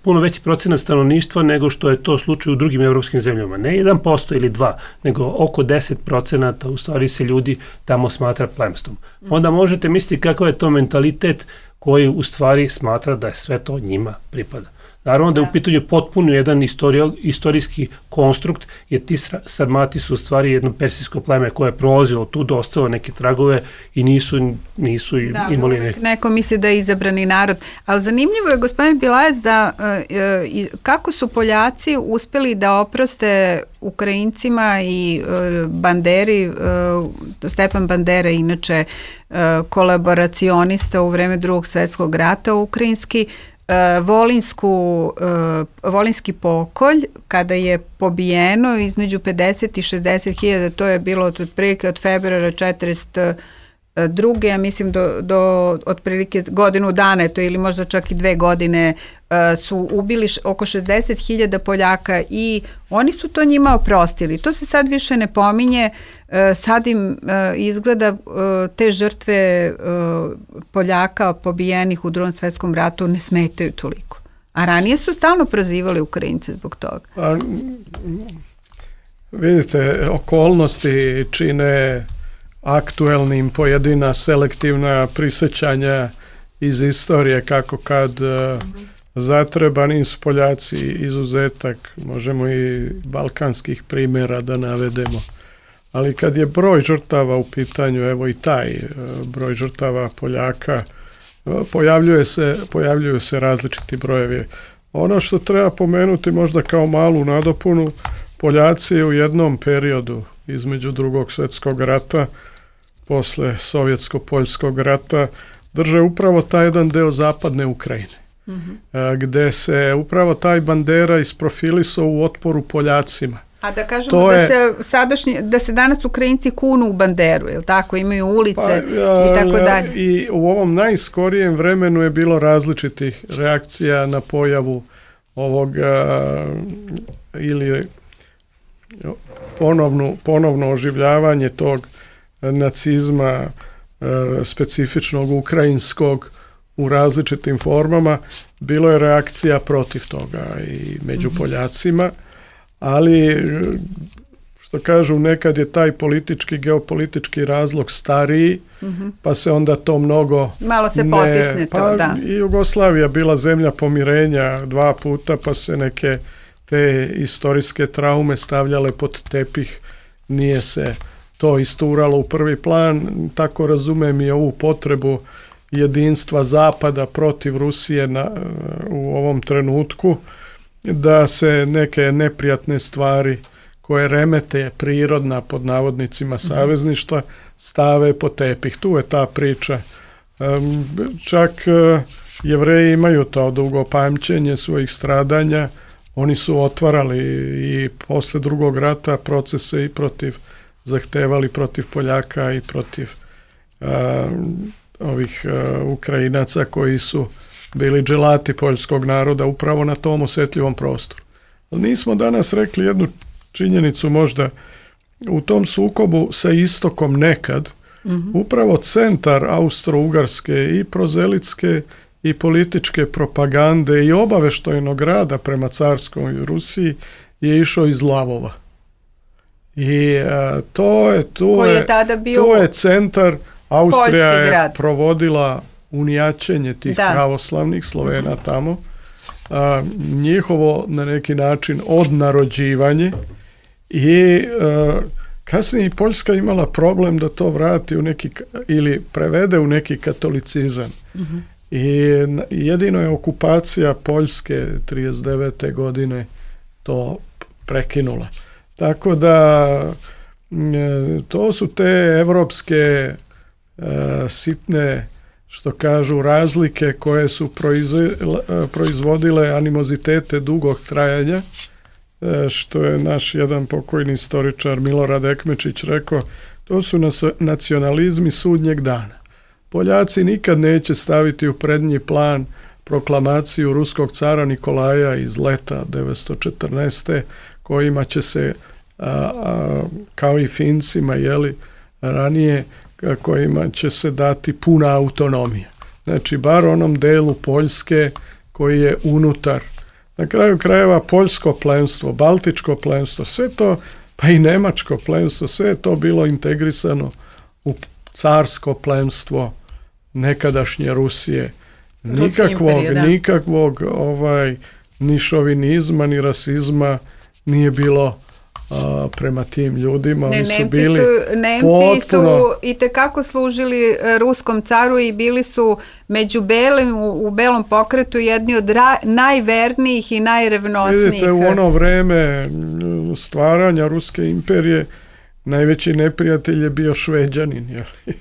puno veći procenat stanovništva nego što je to slučaj u drugim evropskim zemljama. Ne jedan posto ili dva, nego oko deset procenata u stvari se ljudi tamo smatra plemstvom. Onda možete misliti kakav je to mentalitet koji u stvari smatra da je sve to njima pripada. Naravno da je u pitanju potpuno jedan istorio, istorijski konstrukt, jer ti Sarmati su u stvari jedno persijsko pleme koje je prolazilo tu, dostalo neke tragove i nisu, nisu da, imali neke. Neko misli da je izabrani narod. Ali zanimljivo je, gospodin Bilajac, da e, kako su Poljaci uspeli da oproste Ukrajincima i e, Banderi, e, Stepan Bandera, inače e, kolaboracionista u vreme Drugog svjetskog rata ukrajinski, Volinsku, Volinski pokolj, kada je pobijeno između pedeset i šezdeset hiljada, to je bilo od otprilike od februara četrdeset druge, ja mislim do, do otprilike godinu dana, to ili možda čak i dve godine, su ubili oko šezdeset hiljada Poljaka i oni su to njima oprostili. To se sad više ne pominje, sad im izgleda te žrtve Poljaka pobijenih u Drugom svjetskom ratu ne smetaju toliko. A ranije su stalno prozivali Ukrajince zbog toga. A, vidite, okolnosti čine aktuelnim pojedina selektivna prisjećanja iz istorije, kako kad mm-hmm. zatreba, nisu Poljaci izuzetak, možemo i balkanskih primjera da navedemo. Ali kad je broj žrtava u pitanju, evo i taj broj žrtava Poljaka, pojavljuje se, pojavljuju se različiti brojevi. Ono što treba pomenuti možda kao malu nadopunu, Poljaci u jednom periodu između Drugog svjetskog rata, posle Sovjetsko-Poljskog rata, drže upravo taj jedan deo zapadne Ukrajine, mm-hmm. gde se upravo taj Bandera isprofilisao u otporu Poljacima. A da kažemo to da, je, se sadašnji, da se danas Ukrajinci kunu u Banderu, je li tako? Imaju ulice pa, ja, i tako dalje. I u ovom najskorijem vremenu je bilo različitih reakcija na pojavu ovog a, ili ponovno, ponovno oživljavanje tog nacizma a, specifičnog ukrajinskog u različitim formama. Bilo je reakcija protiv toga i među mm-hmm. Poljacima. Ali, što kažu, nekad je taj politički, geopolitički razlog stariji, mm-hmm. pa se onda to mnogo... Malo se ne, potisne to, pa da. I Jugoslavija bila zemlja pomirenja dva puta, pa se neke te istorijske traume stavljale pod tepih, nije se to isturalo u prvi plan, tako razumem i ovu potrebu jedinstva Zapada protiv Rusije na, u ovom trenutku, da se neke neprijatne stvari koje remete prirodna pod navodnicima savezništva stave po tepih. Tu je ta priča. Čak Jevreji imaju to dugo pamćenje svojih stradanja. Oni su otvarali i posle Drugog rata procese i protiv, zahtevali protiv Poljaka i protiv a, ovih a, Ukrajinaca koji su bili dželati poljskog naroda upravo na tom osjetljivom prostoru. Ali nismo danas rekli jednu činjenicu možda. U tom sukobu sa istokom nekad, mm-hmm. upravo centar Austro-Ugarske i prozelitske i političke propagande i obaveštajnog rada prema carskoj Rusiji je išao iz Lavova. I a, to je, to je, je, tada bio to je centar, Austrija je provodila unijačenje tih da. pravoslavnih Slovena mm-hmm. tamo, a, njihovo na neki način odnarođivanje i a, kasnije Poljska imala problem da to vrati u neki ili prevede u neki katolicizam. Mm-hmm. I jedino je okupacija Poljske trideset devete godine to prekinula. Tako da to su te evropske e, sitne, što kažu, razlike koje su proizvodile animozitete dugog trajanja, e, što je naš jedan pokojni istoričar Milorad Ekmečić rekao, to su nas, nacionalizmi sudnjeg dana. Poljaci nikad neće staviti u prednji plan proklamaciju ruskog cara Nikolaja iz leta devetsto četrnaeste kojima će se, a, a, kao i Fincima, jeli, ranije kojima će se dati puna autonomija. Znači, bar onom delu Poljske koji je unutar. Na kraju krajeva poljsko plemstvo, baltičko plemstvo, sve to, pa i nemačko plemstvo, sve je to bilo integrisano u carsko plemstvo nekadašnje Rusije. Nikakvog, nikakvog ovaj, ni šovinizma, ni rasizma nije bilo a, prema tim ljudima. Ne, Oni su Nemci bili su, Nemci potpuno... su i tekako služili ruskom caru i bili su među belim, u, u belom pokretu jedni od ra, najvernijih i najrevnosnijih. Vidite, u ono vreme stvaranja Ruske imperije najveći neprijatelj je bio Šveđanin. Jel?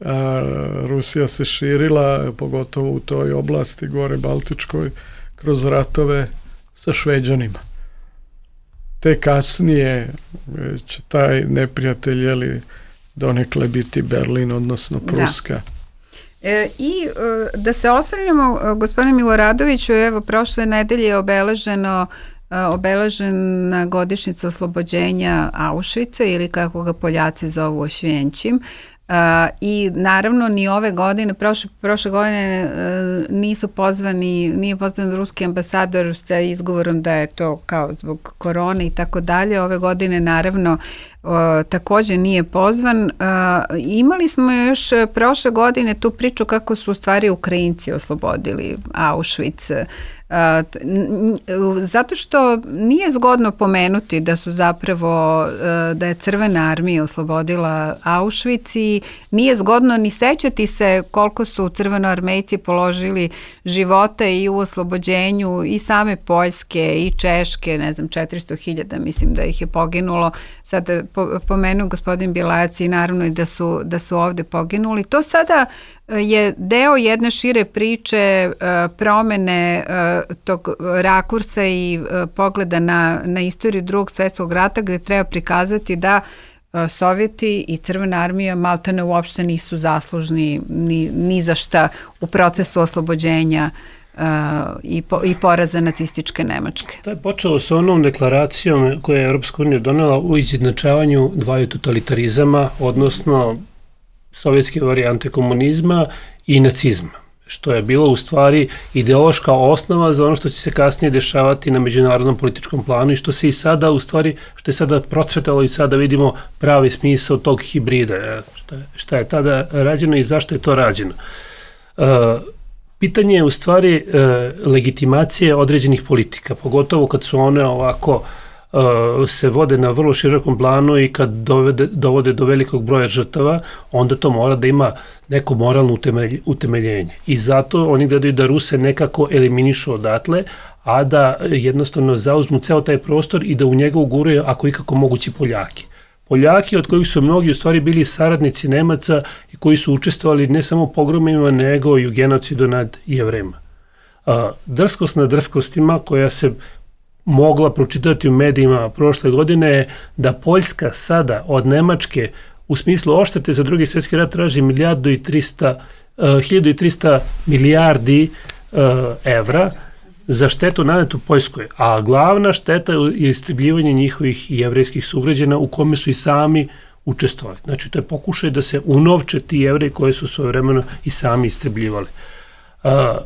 A Rusija se širila, pogotovo u toj oblasti gore Baltičkoj, kroz ratove sa Šveđanima. Te kasnije će taj neprijatelj jeli, donekle biti Berlin, odnosno Pruska. Da. E, I e, da se osvrnemo, gospodine Miloradoviću, evo prošle nedelje je obeleženo obeležena godišnjica oslobođenja Auschwitza ili kako ga Poljaci zovu Ošvjenčim. Uh, i naravno ni ove godine, prošle, prošle godine uh, nisu pozvani, nije pozvan ruski ambasador sa izgovorom da je to kao zbog korone i tako dalje. Ove godine naravno uh, također nije pozvan. Uh, imali smo još prošle godine tu priču kako su u stvari Ukrajinci oslobodili Auschwitz. Uh, zato što nije zgodno pomenuti da su zapravo uh, da je Crvena armija oslobodila Auschwitz i nije zgodno ni sećati se koliko su crvenoarmejci položili živote i u oslobođenju i same Poljske i Češke, ne znam, četiristo hiljada mislim da ih je poginulo. Sad po, pomenuo gospodin Bjelajac i naravno i da su, da su ovde poginuli. To sada je deo jedne šire priče promene tog rakursa i pogleda na, na istoriju Drugog svjetskog rata gdje treba prikazati da Sovjeti i Crvena armija maltene uopšte nisu zaslužni ni, ni za šta u procesu oslobođenja Uh, i, po, i poraza nacističke Nemačke. To je počelo sa onom deklaracijom koju je Europska unija donela u izjednačavanju dvaju totalitarizama, odnosno sovjetske varijante komunizma i nacizma, što je bilo u stvari ideološka osnova za ono što će se kasnije dešavati na međunarodnom političkom planu i što se i sada u stvari, što je sada procvetalo i sada vidimo pravi smisao tog hibrida, šta je, šta je tada rađeno i zašto je to rađeno. Uh, Pitanje je u stvari e, legitimacije određenih politika, pogotovo kad su one ovako e, se vode na vrlo širokom planu i kad dovede, dovode do velikog broja žrtava, onda to mora da ima neko moralno utemelj, utemeljenje. I zato oni gledaju da Ruse nekako eliminišu odatle, a da jednostavno zauzmu ceo taj prostor i da u njega uguraju ako ikako mogući Poljaki. Poljaki od kojih su mnogi u stvari bili saradnici Nemaca i koji su učestvovali ne samo u pogromima, nego i u genocidu nad Jevrema. Drskost na drskostima koja se mogla pročitati u medijima prošle godine je da Poljska sada od Nemačke u smislu oštete za Drugi svjetski rat traži milijardu i trista, hiljadu i trista milijardi evra za štetu nanetu Poljskoj, a glavna šteta je istrebljivanje njihovih jevrejskih sugrađana u kome su i sami učestvovali. Znači, to je pokušaj da se unovče ti Jevreji koje su svojevremeno i sami istrebljivali. A,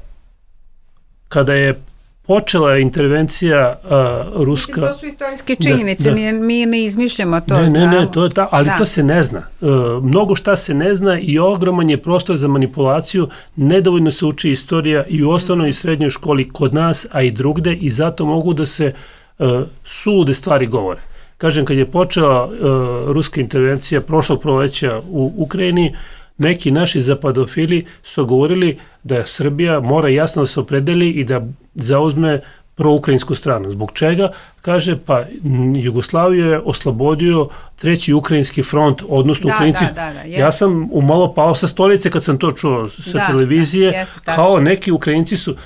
kada je počela intervencija uh, ruska... Mislim, to su istorijske činjenice, da, da. mi ne izmišljamo to. Ne, ne, ne, to je ta, ali da. To se ne zna. Uh, mnogo šta se ne zna i ogroman je prostor za manipulaciju, nedovoljno se uči istorija i u osnovnoj i srednjoj školi kod nas, a i drugde, i zato mogu da se uh, sulude stvari govore. Kažem, kad je počela uh, ruska intervencija prošlog proleća u Ukrajini, neki naši zapadofili su govorili da Srbija mora jasno da se opredeli i da zauzme proukrajinsku stranu. Zbog čega? Kaže, pa Jugoslaviju je oslobodio treći ukrajinski front, odnosno da, Ukrajinci. Da, da, da, ja sam umalo pao sa stolice kad sam to čuo sa da, televizije, da, jeste, kao neki Ukrajinci su...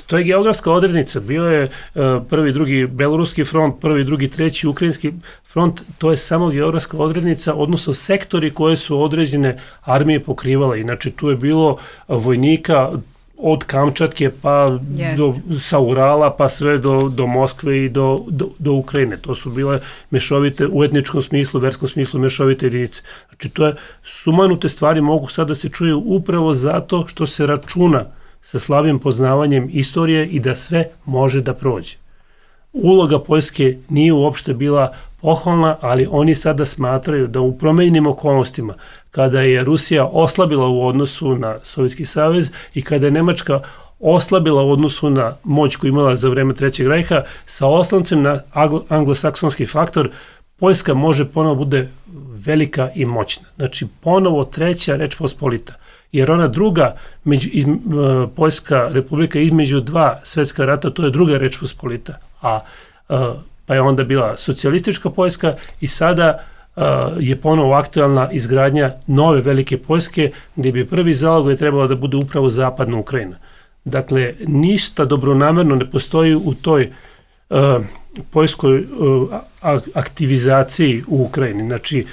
To je geografska odrednica, bio je uh, prvi, drugi beloruski front, prvi, drugi, treći ukrajinski front, to je samo geografska odrednica, odnosno sektori koje su određene armije pokrivale. Inače, tu je bilo vojnika od Kamčatke pa do, sa Urala pa sve do, do Moskve i do, do, do Ukrajine. To su bile mešovite, u etničkom smislu, verskom smislu mešovite jedinice. Znači to je, sumanute stvari mogu sad da se čuju upravo zato što se računa sa slabim poznavanjem istorije i da sve može da prođe. Uloga Poljske nije uopšte bila pohvalna, ali oni sada smatraju da u promenjenim okolnostima, kada je Rusija oslabila u odnosu na Sovjetski savez i kada je Nemačka oslabila u odnosu na moć koju imala za vreme Trećeg rajha, sa oslancem na anglosaksonski faktor, Poljska može ponovo bude velika i moćna. Znači, ponovo treća Reč Pospolita. Jer ona druga, među, iz, uh, Poljska republika između dva svetska rata, to je druga Reč Pospolita. A uh, pa je onda bila socijalistička Poljska i sada uh, je ponovo aktualna izgradnja nove velike Poljske, gdje bi prvi zalogaj trebalo da bude upravo zapadna Ukrajina. Dakle, ništa dobronamerno ne postoji u toj uh, poljskoj uh, aktivizaciji u Ukrajini. Znači,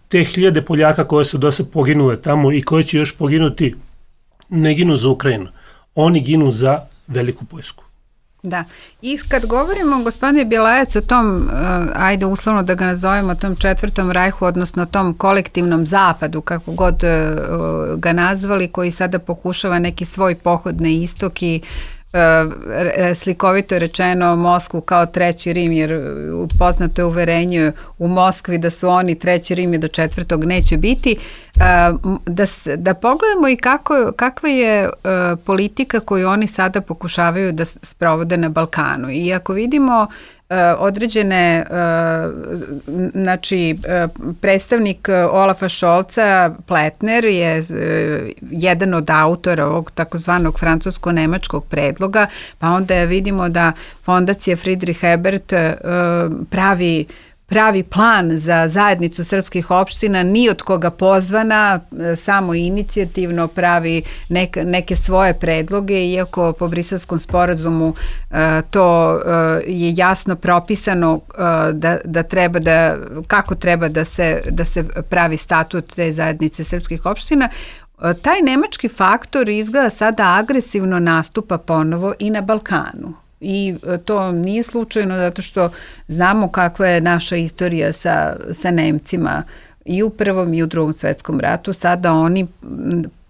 te hiljade Poljaka koje su do sad poginule tamo i koje će još poginuti, ne ginu za Ukrajinu. Oni ginu za veliku Poljsku. Da, i kad govorimo, gospodine Bjelajac, o tom, uh, ajde uslovno da ga nazovemo, tom četvrtom rajhu, odnosno tom kolektivnom zapadu, kako god uh, ga nazvali, koji sada pokušava neki svoj pohod na istok i slikovito rečeno Moskvu kao treći Rim, jer poznato je uverenje u Moskvi da su oni treći Rim i do četvrtog neće biti. Da, da pogledamo i kako, kakva je politika koju oni sada pokušavaju da sprovode na Balkanu. I ako vidimo određene, znači predstavnik Olafa Scholza, Pletner, je jedan od autora ovog takozvanog francusko-nemačkog predloga, pa onda vidimo da fondacija Friedrich Ebert pravi pravi plan za zajednicu srpskih opština, ni od koga pozvana, samo inicijativno pravi nek, neke svoje predloge, iako po Briselskom sporazumu uh, to uh, je jasno propisano uh, da, da treba da, kako treba da se, da se pravi statut te zajednice srpskih opština. Uh, taj nemački faktor izgleda sada agresivno nastupa ponovo i na Balkanu. I to nije slučajno zato što znamo kakva je naša istorija sa, sa Nemcima i u Prvom i u Drugom svetskom ratu. Sada oni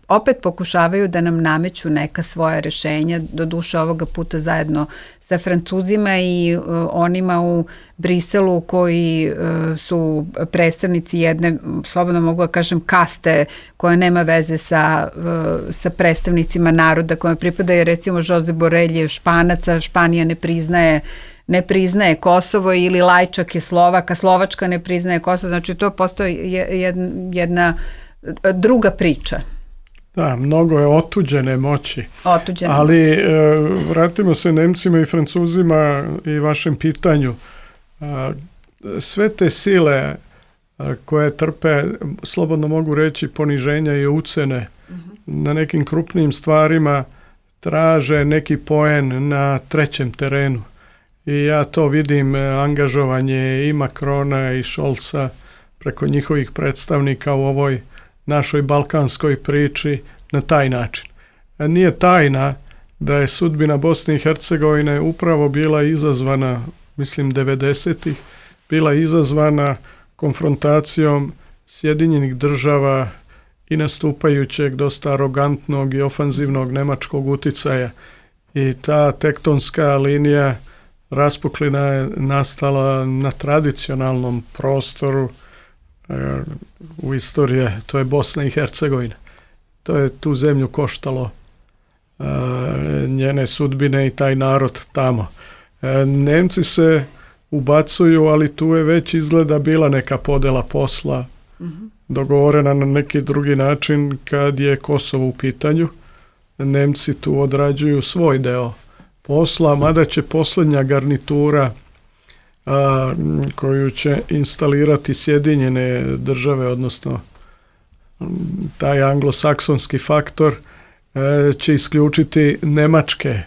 opet pokušavaju da nam nameću neka svoja rešenja, doduše ovoga puta zajedno sa Francuzima i uh, onima u Briselu koji uh, su predstavnici jedne, slobodno mogu da kažem, kaste koja nema veze sa, uh, sa predstavnicima naroda kojima pripada, jer recimo Josep Borrell je Španaca, Španija ne priznaje ne priznaje Kosovo, ili Lajčak je Slovak, a Slovačka ne priznaje Kosovo, znači to postoji jedna, jedna druga priča. Da, mnogo je otuđene moći. Otuđene Ali moći. E, vratimo se Nemcima i Francuzima i vašem pitanju. E, sve te sile a, koje trpe, slobodno mogu reći, poniženja i ucene uh-huh. na nekim krupnim stvarima, traže neki poen na trećem terenu. I ja to vidim, angažovanje i Macrona i Scholza preko njihovih predstavnika u ovoj našoj balkanskoj priči na taj način. Nije tajna da je sudbina Bosne i Hercegovine upravo bila izazvana, mislim devedesetih, bila izazvana konfrontacijom Sjedinjenih država i nastupajućeg dosta arogantnog i ofanzivnog nemačkog uticaja. I ta tektonska linija raspuklina je nastala na tradicionalnom prostoru u istoriji, to je Bosna i Hercegovina. To je tu zemlju koštalo uh, njene sudbine i taj narod tamo. Uh, Nemci se ubacuju, ali tu je već izgleda bila neka podela posla uh-huh. dogovorena na neki drugi način kad je Kosovo u pitanju. Nemci tu odrađuju svoj deo posla, mada će posljednja garnitura A, koju će instalirati Sjedinjene države, odnosno taj anglosaksonski faktor, e, će isključiti nemačke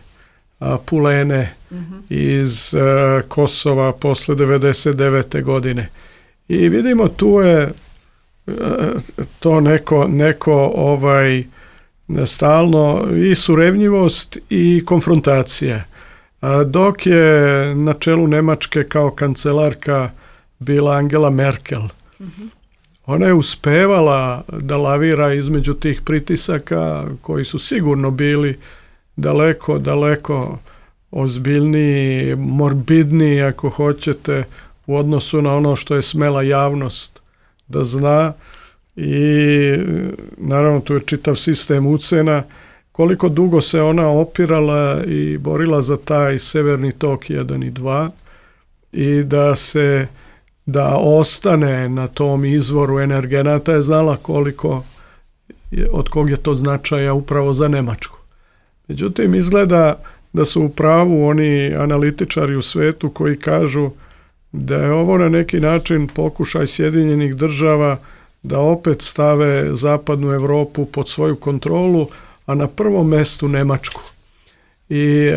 a, pulene mm-hmm. iz a, Kosova posle devedeset devete godine. I vidimo tu je a, to neko, neko ovaj stalno i surevnjivost i konfrontacija. Dok je na čelu Nemačke kao kancelarka bila Angela Merkel, mm-hmm. ona je uspevala da lavira između tih pritisaka koji su sigurno bili daleko, daleko ozbiljniji, morbidniji ako hoćete u odnosu na ono što je smela javnost da zna i naravno tu je čitav sistem ucena. Koliko dugo se ona opirala i borila za taj Severni tok jedan i dva i da se da ostane na tom izvoru energenata je znala koliko od kog je to značaja upravo za Nemačku. Međutim, izgleda da su u pravu oni analitičari u svetu koji kažu da je ovo na neki način pokušaj Sjedinjenih država da opet stave zapadnu Europu pod svoju kontrolu, a na prvom mestu Nemačku. I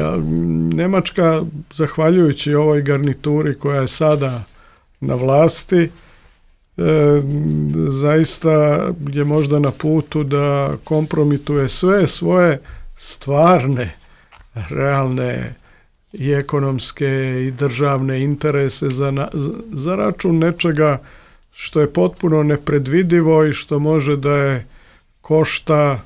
Nemačka, zahvaljujući ovoj garnituri koja je sada na vlasti, e, zaista je možda na putu da kompromituje sve svoje stvarne, realne i ekonomske i državne interese za, na, za račun nečega što je potpuno nepredvidivo i što može da je košta,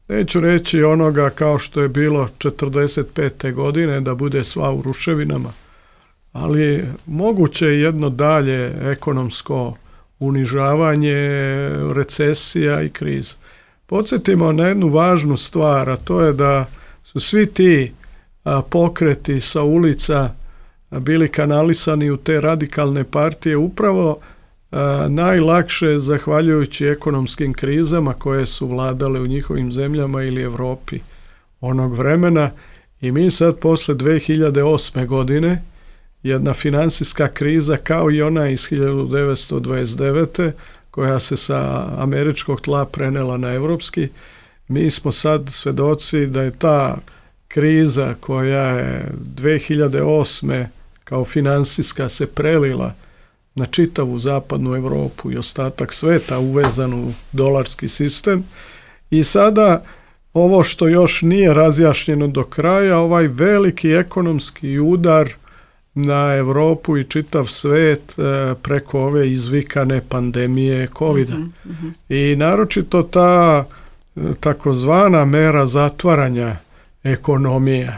neću reći onoga kao što je bilo četrdeset pete godine, da bude sva u ruševinama, ali moguće je jedno dalje ekonomsko unižavanje, recesija i kriza. Podsjetimo na jednu važnu stvar, a to je da su svi ti a, pokreti sa ulica a, bili kanalisani u te radikalne partije upravo a, najlakše zahvaljujući ekonomskim krizama koje su vladale u njihovim zemljama ili Evropi onog vremena. I mi sad posle dve hiljade osme godine jedna finansijska kriza kao i ona iz hiljadu devetsto dvadeset devete koja se sa američkog tla prenela na evropski, mi smo sad svedoci da je ta kriza koja je dve hiljade osme kao finansijska se prelila na čitavu zapadnu Evropu i ostatak sveta uvezan u dolarski sistem. I sada ovo što još nije razjašnjeno do kraja, ovaj veliki ekonomski udar na Evropu i čitav svet e, preko ove izvikane pandemije kovida. Mm-hmm, mm-hmm. I naročito ta takozvana mera zatvaranja ekonomija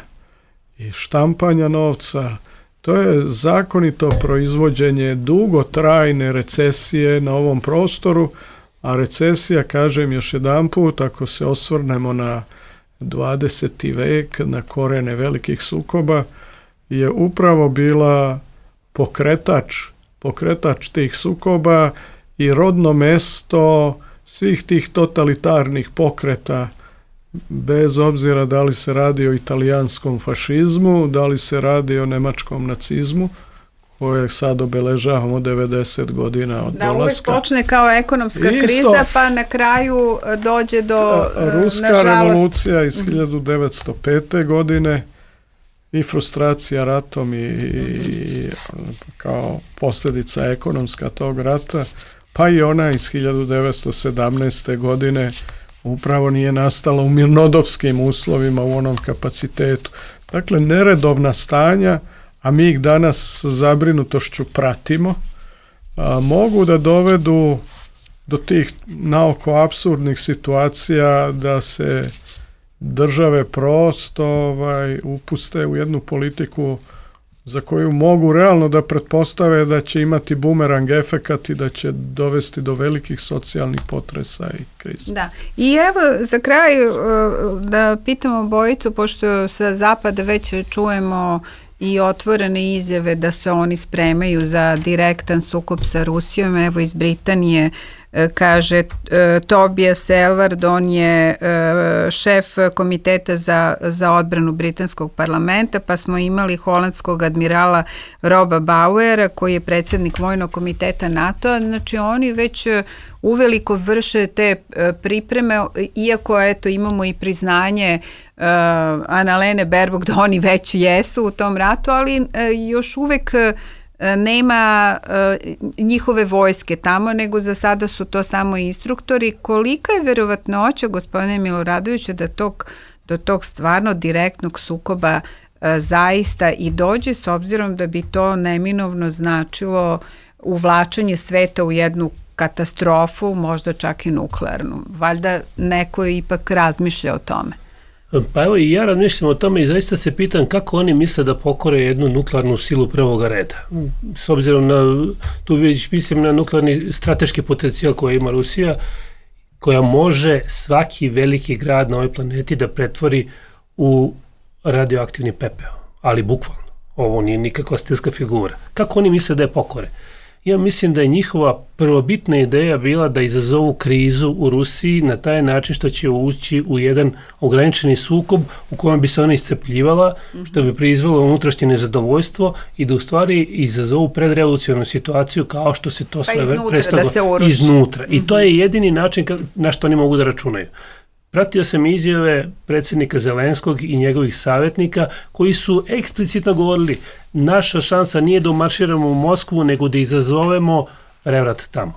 i štampanja novca, to je zakonito proizvođenje dugotrajne recesije na ovom prostoru, a recesija, kažem još jedanput, ako se osvrnemo na dvadeseti vek, na korene velikih sukoba, je upravo bila pokretač, pokretač tih sukoba i rodno mesto svih tih totalitarnih pokreta, bez obzira da li se radi o italijanskom fašizmu, da li se radi o nemačkom nacizmu, koje sad obeležavamo devedeset godina od da, dolaska. Da, uvek počne kao ekonomska Isto, kriza, pa na kraju dođe do, Ruska nažalost, revolucija iz hiljadu devetsto pete godine i frustracija ratom i, i kao posljedica ekonomska tog rata, pa i ona iz hiljadu devetsto sedamnaeste godine upravo nije nastala u mirnodopskim uslovima u onom kapacitetu. Dakle, neredovna stanja, a mi ih danas sa zabrinutošću pratimo, a, mogu da dovedu do tih naoko apsurdnih situacija da se države prosto ovaj, upuste u jednu politiku za koju mogu realno da pretpostave da će imati bumerang efekat i da će dovesti do velikih socijalnih potresa i kriza. Da. I evo za kraj da pitamo obojicu, pošto sa zapada već čujemo i otvorene izjave da se oni spremaju za direktan sukob sa Rusijom. Evo iz Britanije kaže Tobias Ellward, on je šef komiteta za, za odbranu britanskog parlamenta, pa smo imali holandskog admirala Roba Bauera koji je predsjednik vojnog komiteta NATO-a. Znači oni već uveliko vrše te pripreme, iako eto imamo i priznanje uh, Annalene Baerbock da oni već jesu u tom ratu, ali uh, još uvek nema njihove vojske tamo, nego za sada su to samo instruktori. Kolika je verovatnoća, gospodine Miloradoviću, da tog, do tog stvarno direktnog sukoba zaista i dođe, s obzirom da bi to neminovno značilo uvlačenje sveta u jednu katastrofu, možda čak i nuklearnu. Valjda neko ipak razmišlja o tome. Pa evo i ja razmišljam o tome i zaista se pitam kako oni misle da pokore jednu nuklearnu silu prvoga reda. S obzirom na, tu već mislim na nuklearni strateški potencijal koji ima Rusija, koja može svaki veliki grad na ovoj planeti da pretvori u radioaktivni pepeo, ali bukvalno. Ovo nije nikakva stilska figura. Kako oni misle da je pokore? Ja mislim da je njihova prvobitna ideja bila da izazovu krizu u Rusiji na taj način što će ući u jedan ograničeni sukob u kojem bi se ona iscepljivala, što bi proizvelo unutrašnje nezadovoljstvo i da u stvari izazovu predrevolucionarnu situaciju kao što se to pa sve iznutra, prestalo da se oruši. Iznutra. I to je jedini način na što oni mogu da računaju. Pratio sam izjave predsjednika Zelenskog i njegovih savjetnika koji su eksplicitno govorili naša šansa nije da umarširamo u Moskvu nego da izazovemo prevrat tamo.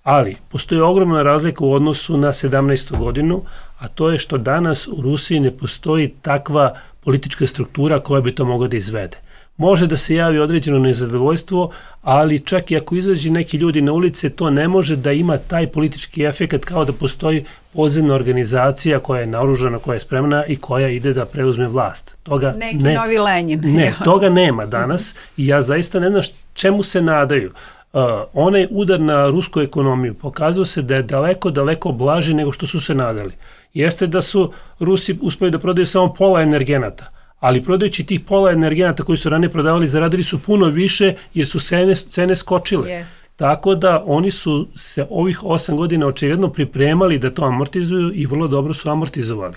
Ali postoji ogromna razlika u odnosu na sedamnaestu godinu, a to je što danas u Rusiji ne postoji takva politička struktura koja bi to mogla da izvede. Može da se javi određeno nezadovoljstvo, ali čak i ako izađu neki ljudi na ulice, to ne može da ima taj politički efekt kao da postoji podzemna organizacija koja je naoružana, koja je spremna i koja ide da preuzme vlast. Toga neki ne, novi Lenin. Ne, toga nema danas i ja zaista ne znam čemu se nadaju. Uh, onaj udar na rusku ekonomiju pokazao se da je daleko, daleko blaži nego što su se nadali. Jeste da su Rusi uspeli da prodaju samo pola energenata, ali prodajući tih pola energenata koji su ranije prodavali, zaradili su puno više jer su cene, cene skočile. Yes. Tako da oni su se ovih osam godina očigledno pripremali da to amortizuju i vrlo dobro su amortizovali.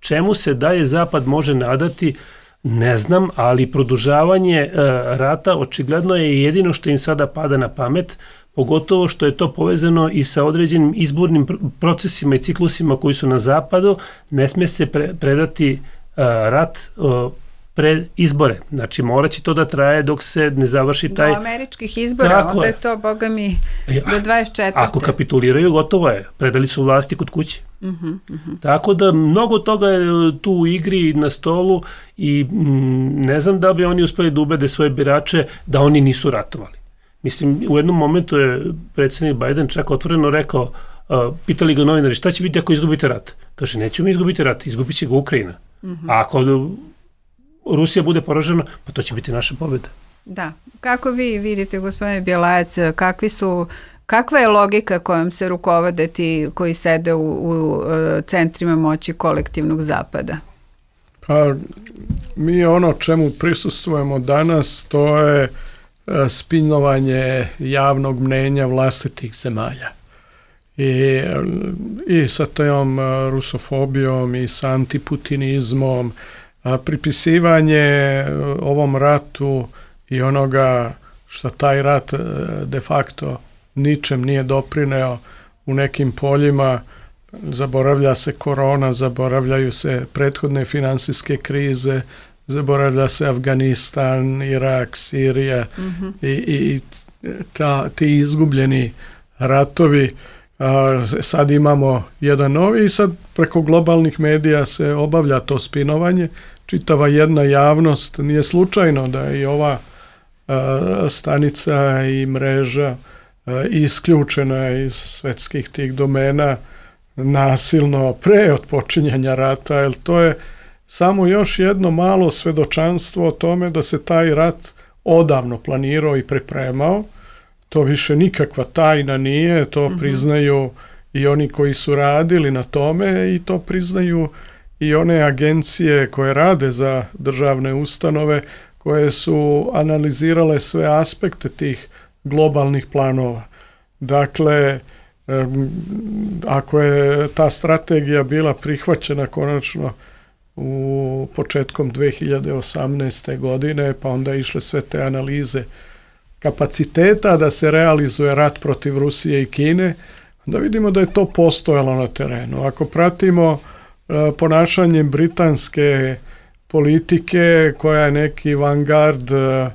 Čemu se dalje Zapad može nadati, ne znam, ali produžavanje e, rata očigledno je jedino što im sada pada na pamet, pogotovo što je to povezano i sa određenim izbornim procesima i ciklusima koji su na Zapadu. Ne smije se pre, predati rat uh, pred izbore. Znači, morat će to da traje dok se ne završi taj... Do američkih izbora, tako onda je to, boga mi, do dvadeset četvrte Ako kapituliraju, gotovo je. Predali su vlasti kod kuće. Uh-huh, uh-huh. Tako da, mnogo toga je tu u igri na stolu i m, ne znam da bi oni uspeli da ubede svoje birače da oni nisu ratovali. Mislim, u jednom momentu je predsjednik Biden čak otvoreno rekao, uh, pitali ga novinari, šta će biti ako izgubite rat? Kaže, nećemo izgubiti rat, izgubit će ga Ukrajina. Uh-huh. A ako Rusija bude poražena, pa to će biti naša pobjeda. Da. Kako vi vidite, gospodine Bjelajac, kakvi su, kakva je logika kojom se rukovode ti koji sede u, u centrima moći kolektivnog Zapada? Pa, mi ono čemu prisustvujemo danas, to je spinovanje javnog mnenja vlastitih zemalja. I, i sa tom rusofobijom i sa antiputinizmom, pripisivanje ovom ratu i onoga što taj rat de facto ničem nije doprineo u nekim poljima, zaboravlja se korona, zaboravljaju se prethodne finansijske krize, zaboravlja se Afganistan, Irak, Sirija mm-hmm. i, i ta, ti izgubljeni ratovi. A, sad imamo jedan novi i sad preko globalnih medija se obavlja to spinovanje. Čitava jedna javnost, nije slučajno da je i ova a, stanica i mreža a, isključena iz svetskih tih domena nasilno pre otpočinjanja rata, jer to je samo još jedno malo svedočanstvo o tome da se taj rat odavno planirao i pripremao. To više nikakva tajna nije, to mm-hmm. priznaju i oni koji su radili na tome i to priznaju i one agencije koje rade za državne ustanove koje su analizirale sve aspekte tih globalnih planova. Dakle, ako je ta strategija bila prihvaćena konačno u početkom dve hiljade osamnaeste. godine, pa onda išle sve te analize kapaciteta da se realizuje rat protiv Rusije i Kine, da vidimo da je to postojalo na terenu. Ako pratimo uh, ponašanje britanske politike koja je neki vanguard uh,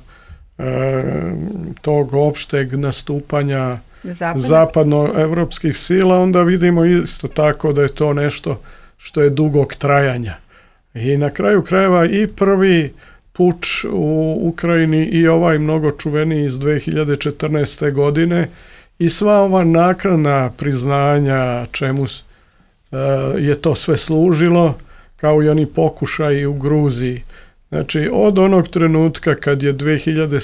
tog opšteg nastupanja Zapadno. zapadnoevropskih sila, onda vidimo isto tako da je to nešto što je dugog trajanja. I na kraju krajeva i prvi puč u Ukrajini i ovaj mnogo čuveniji iz dve hiljade četrnaeste. godine i sva ova naknadna priznanja čemu je to sve služilo, kao i oni pokušaji u Gruziji. Znači, od onog trenutka kad je dve hiljade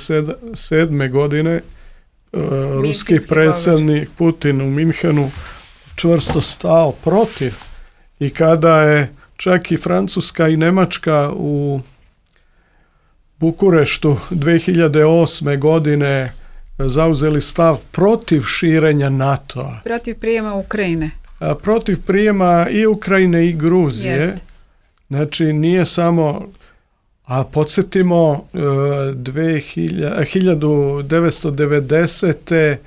sedme. godine uh, ruski predsjednik Putin u Minhenu čvrsto stao protiv i kada je čak i Francuska i Nemačka u Bukureštu dve hiljade osme. godine zauzeli stav protiv širenja NATO-a. Protiv prijema Ukrajine. A, protiv prijema i Ukrajine i Gruzije. Jest. Znači, nije samo... A podsjetimo, hiljadu devetsto devedesete.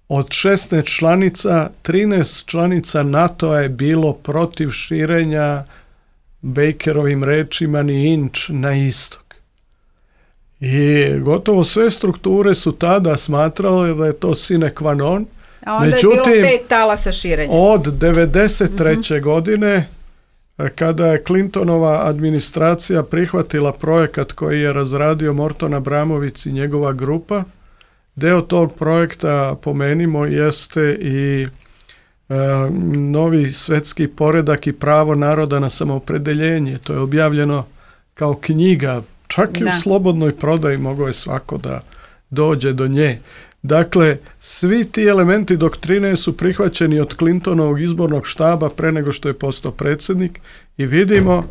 od šesnaest članica, trinaest članica NATO-a je bilo protiv širenja, Bakerovim rečima, ni inč na istok. I gotovo sve strukture su tada smatrale da je to sine qua non. A onda Međutim, je bilo pet talasa širenja. Od devedeset treće. Mm-hmm. godine, kada je Clintonova administracija prihvatila projekat koji je razradio Morton Abramović i njegova grupa, deo tog projekta, pomenimo, jeste i e, novi svetski poredak i pravo naroda na samoopredeljenje. To je objavljeno kao knjiga, čak da. i u slobodnoj prodaji mogao je svako da dođe do nje. Dakle, svi ti elementi doktrine su prihvaćeni od Clintonovog izbornog štaba pre nego što je postao predsjednik i vidimo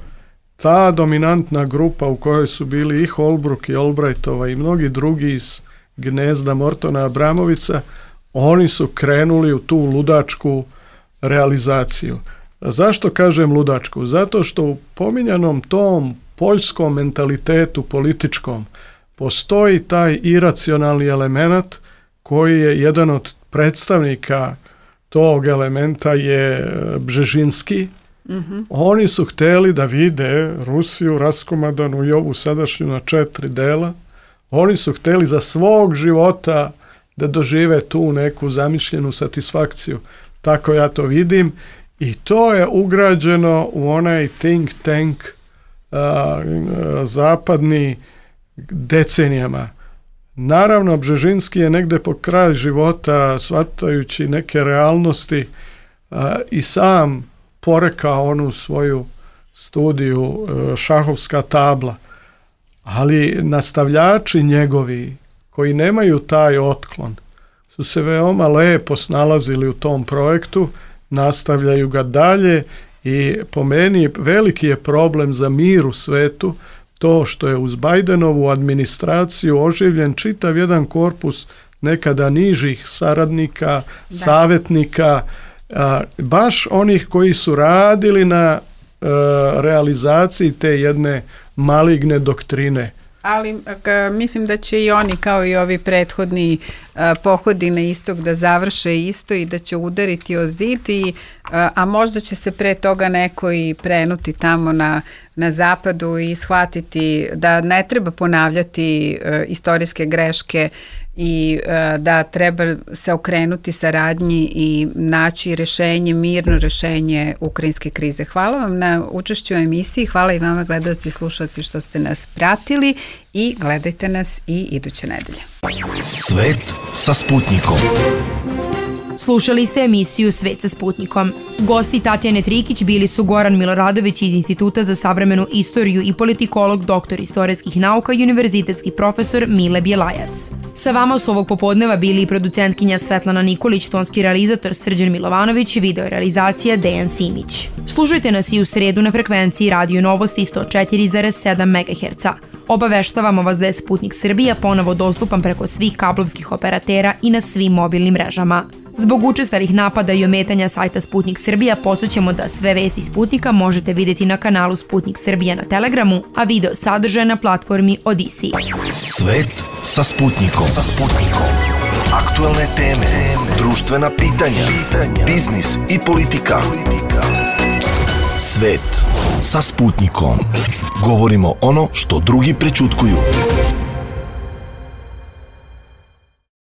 ta dominantna grupa u kojoj su bili i Holbrooke i Albrightova i mnogi drugi iz gnezda Mortona Abramovića, oni su krenuli u tu ludačku realizaciju. Zašto kažem ludačku? Zato što u pominjanom tom poljskom mentalitetu političkom postoji taj iracionalni element koji je jedan od predstavnika tog elementa je Bžežinski. Mm-hmm. Oni su htjeli da vide Rusiju raskomadanu i ovu sadašnju na četiri dela. Oni su htjeli za svog života da dožive tu neku zamišljenu satisfakciju. Tako ja to vidim. I to je ugrađeno u onaj think tank a, a, zapadni decenijama. Naravno, Bžežinski je negde po kraj života, shvatajući neke realnosti, a, i sam porekao onu svoju studiju a, šahovska tabla. Ali nastavljači njegovi, koji nemaju taj otklon, su se veoma lepo snalazili u tom projektu, nastavljaju ga dalje i po meni veliki je problem za mir u svetu to što je uz Bidenovu administraciju oživljen čitav jedan korpus nekada nižih saradnika, da. savjetnika, a, baš onih koji su radili na a, realizaciji te jedne maligne doktrine. Ali ka, mislim da će i oni kao i ovi prethodni a, pohodi na istok da završe isto i da će udariti o zid, i, a, a možda će se pre toga neko i prenuti tamo na, na zapadu i shvatiti da ne treba ponavljati a, istorijske greške i a, da treba se okrenuti saradnji i naći rešenje, mirno rešenje ukrajinske krize. Hvala vam na učešću u emisiji, hvala i vama gledalci i slušalci što ste nas pratili i gledajte nas i iduće nedelje. Svet sa Sputnikom. Slušali ste emisiju Svet sa Sputnikom. Gosti Tatjane Trikić bili su Goran Miloradović iz Instituta za savremenu istoriju i politikolog, doktor istorijskih nauka i univerzitetski profesor Mile Bjelajac. Sa vama su ovog popodneva bili i producentkinja Svetlana Nikolić, tonski realizator Srđan Milovanović, video realizacija Dejan Simić. Slušajte nas i u sredu na frekvenciji Radio Novosti sto četiri zarez sedam megaherca. Obaveštavamo vas da je Sputnik Srbija ponovo dostupan preko svih kablovskih operatera i na svim mobilnim mrežama. Zbog učestalih napada i ometanja sajta Sputnik Srbija podsjećamo da sve vesti Sputnika možete vidjeti na kanalu Sputnik Srbija na Telegramu, a video sadržaj na platformi Odisi. Svet sa Sputnikom. Sa Sputnikom. Aktualne teme, društvena pitanja, biznis i politika. Svet sa Sputnikom. Govorimo ono što drugi prećutkuju.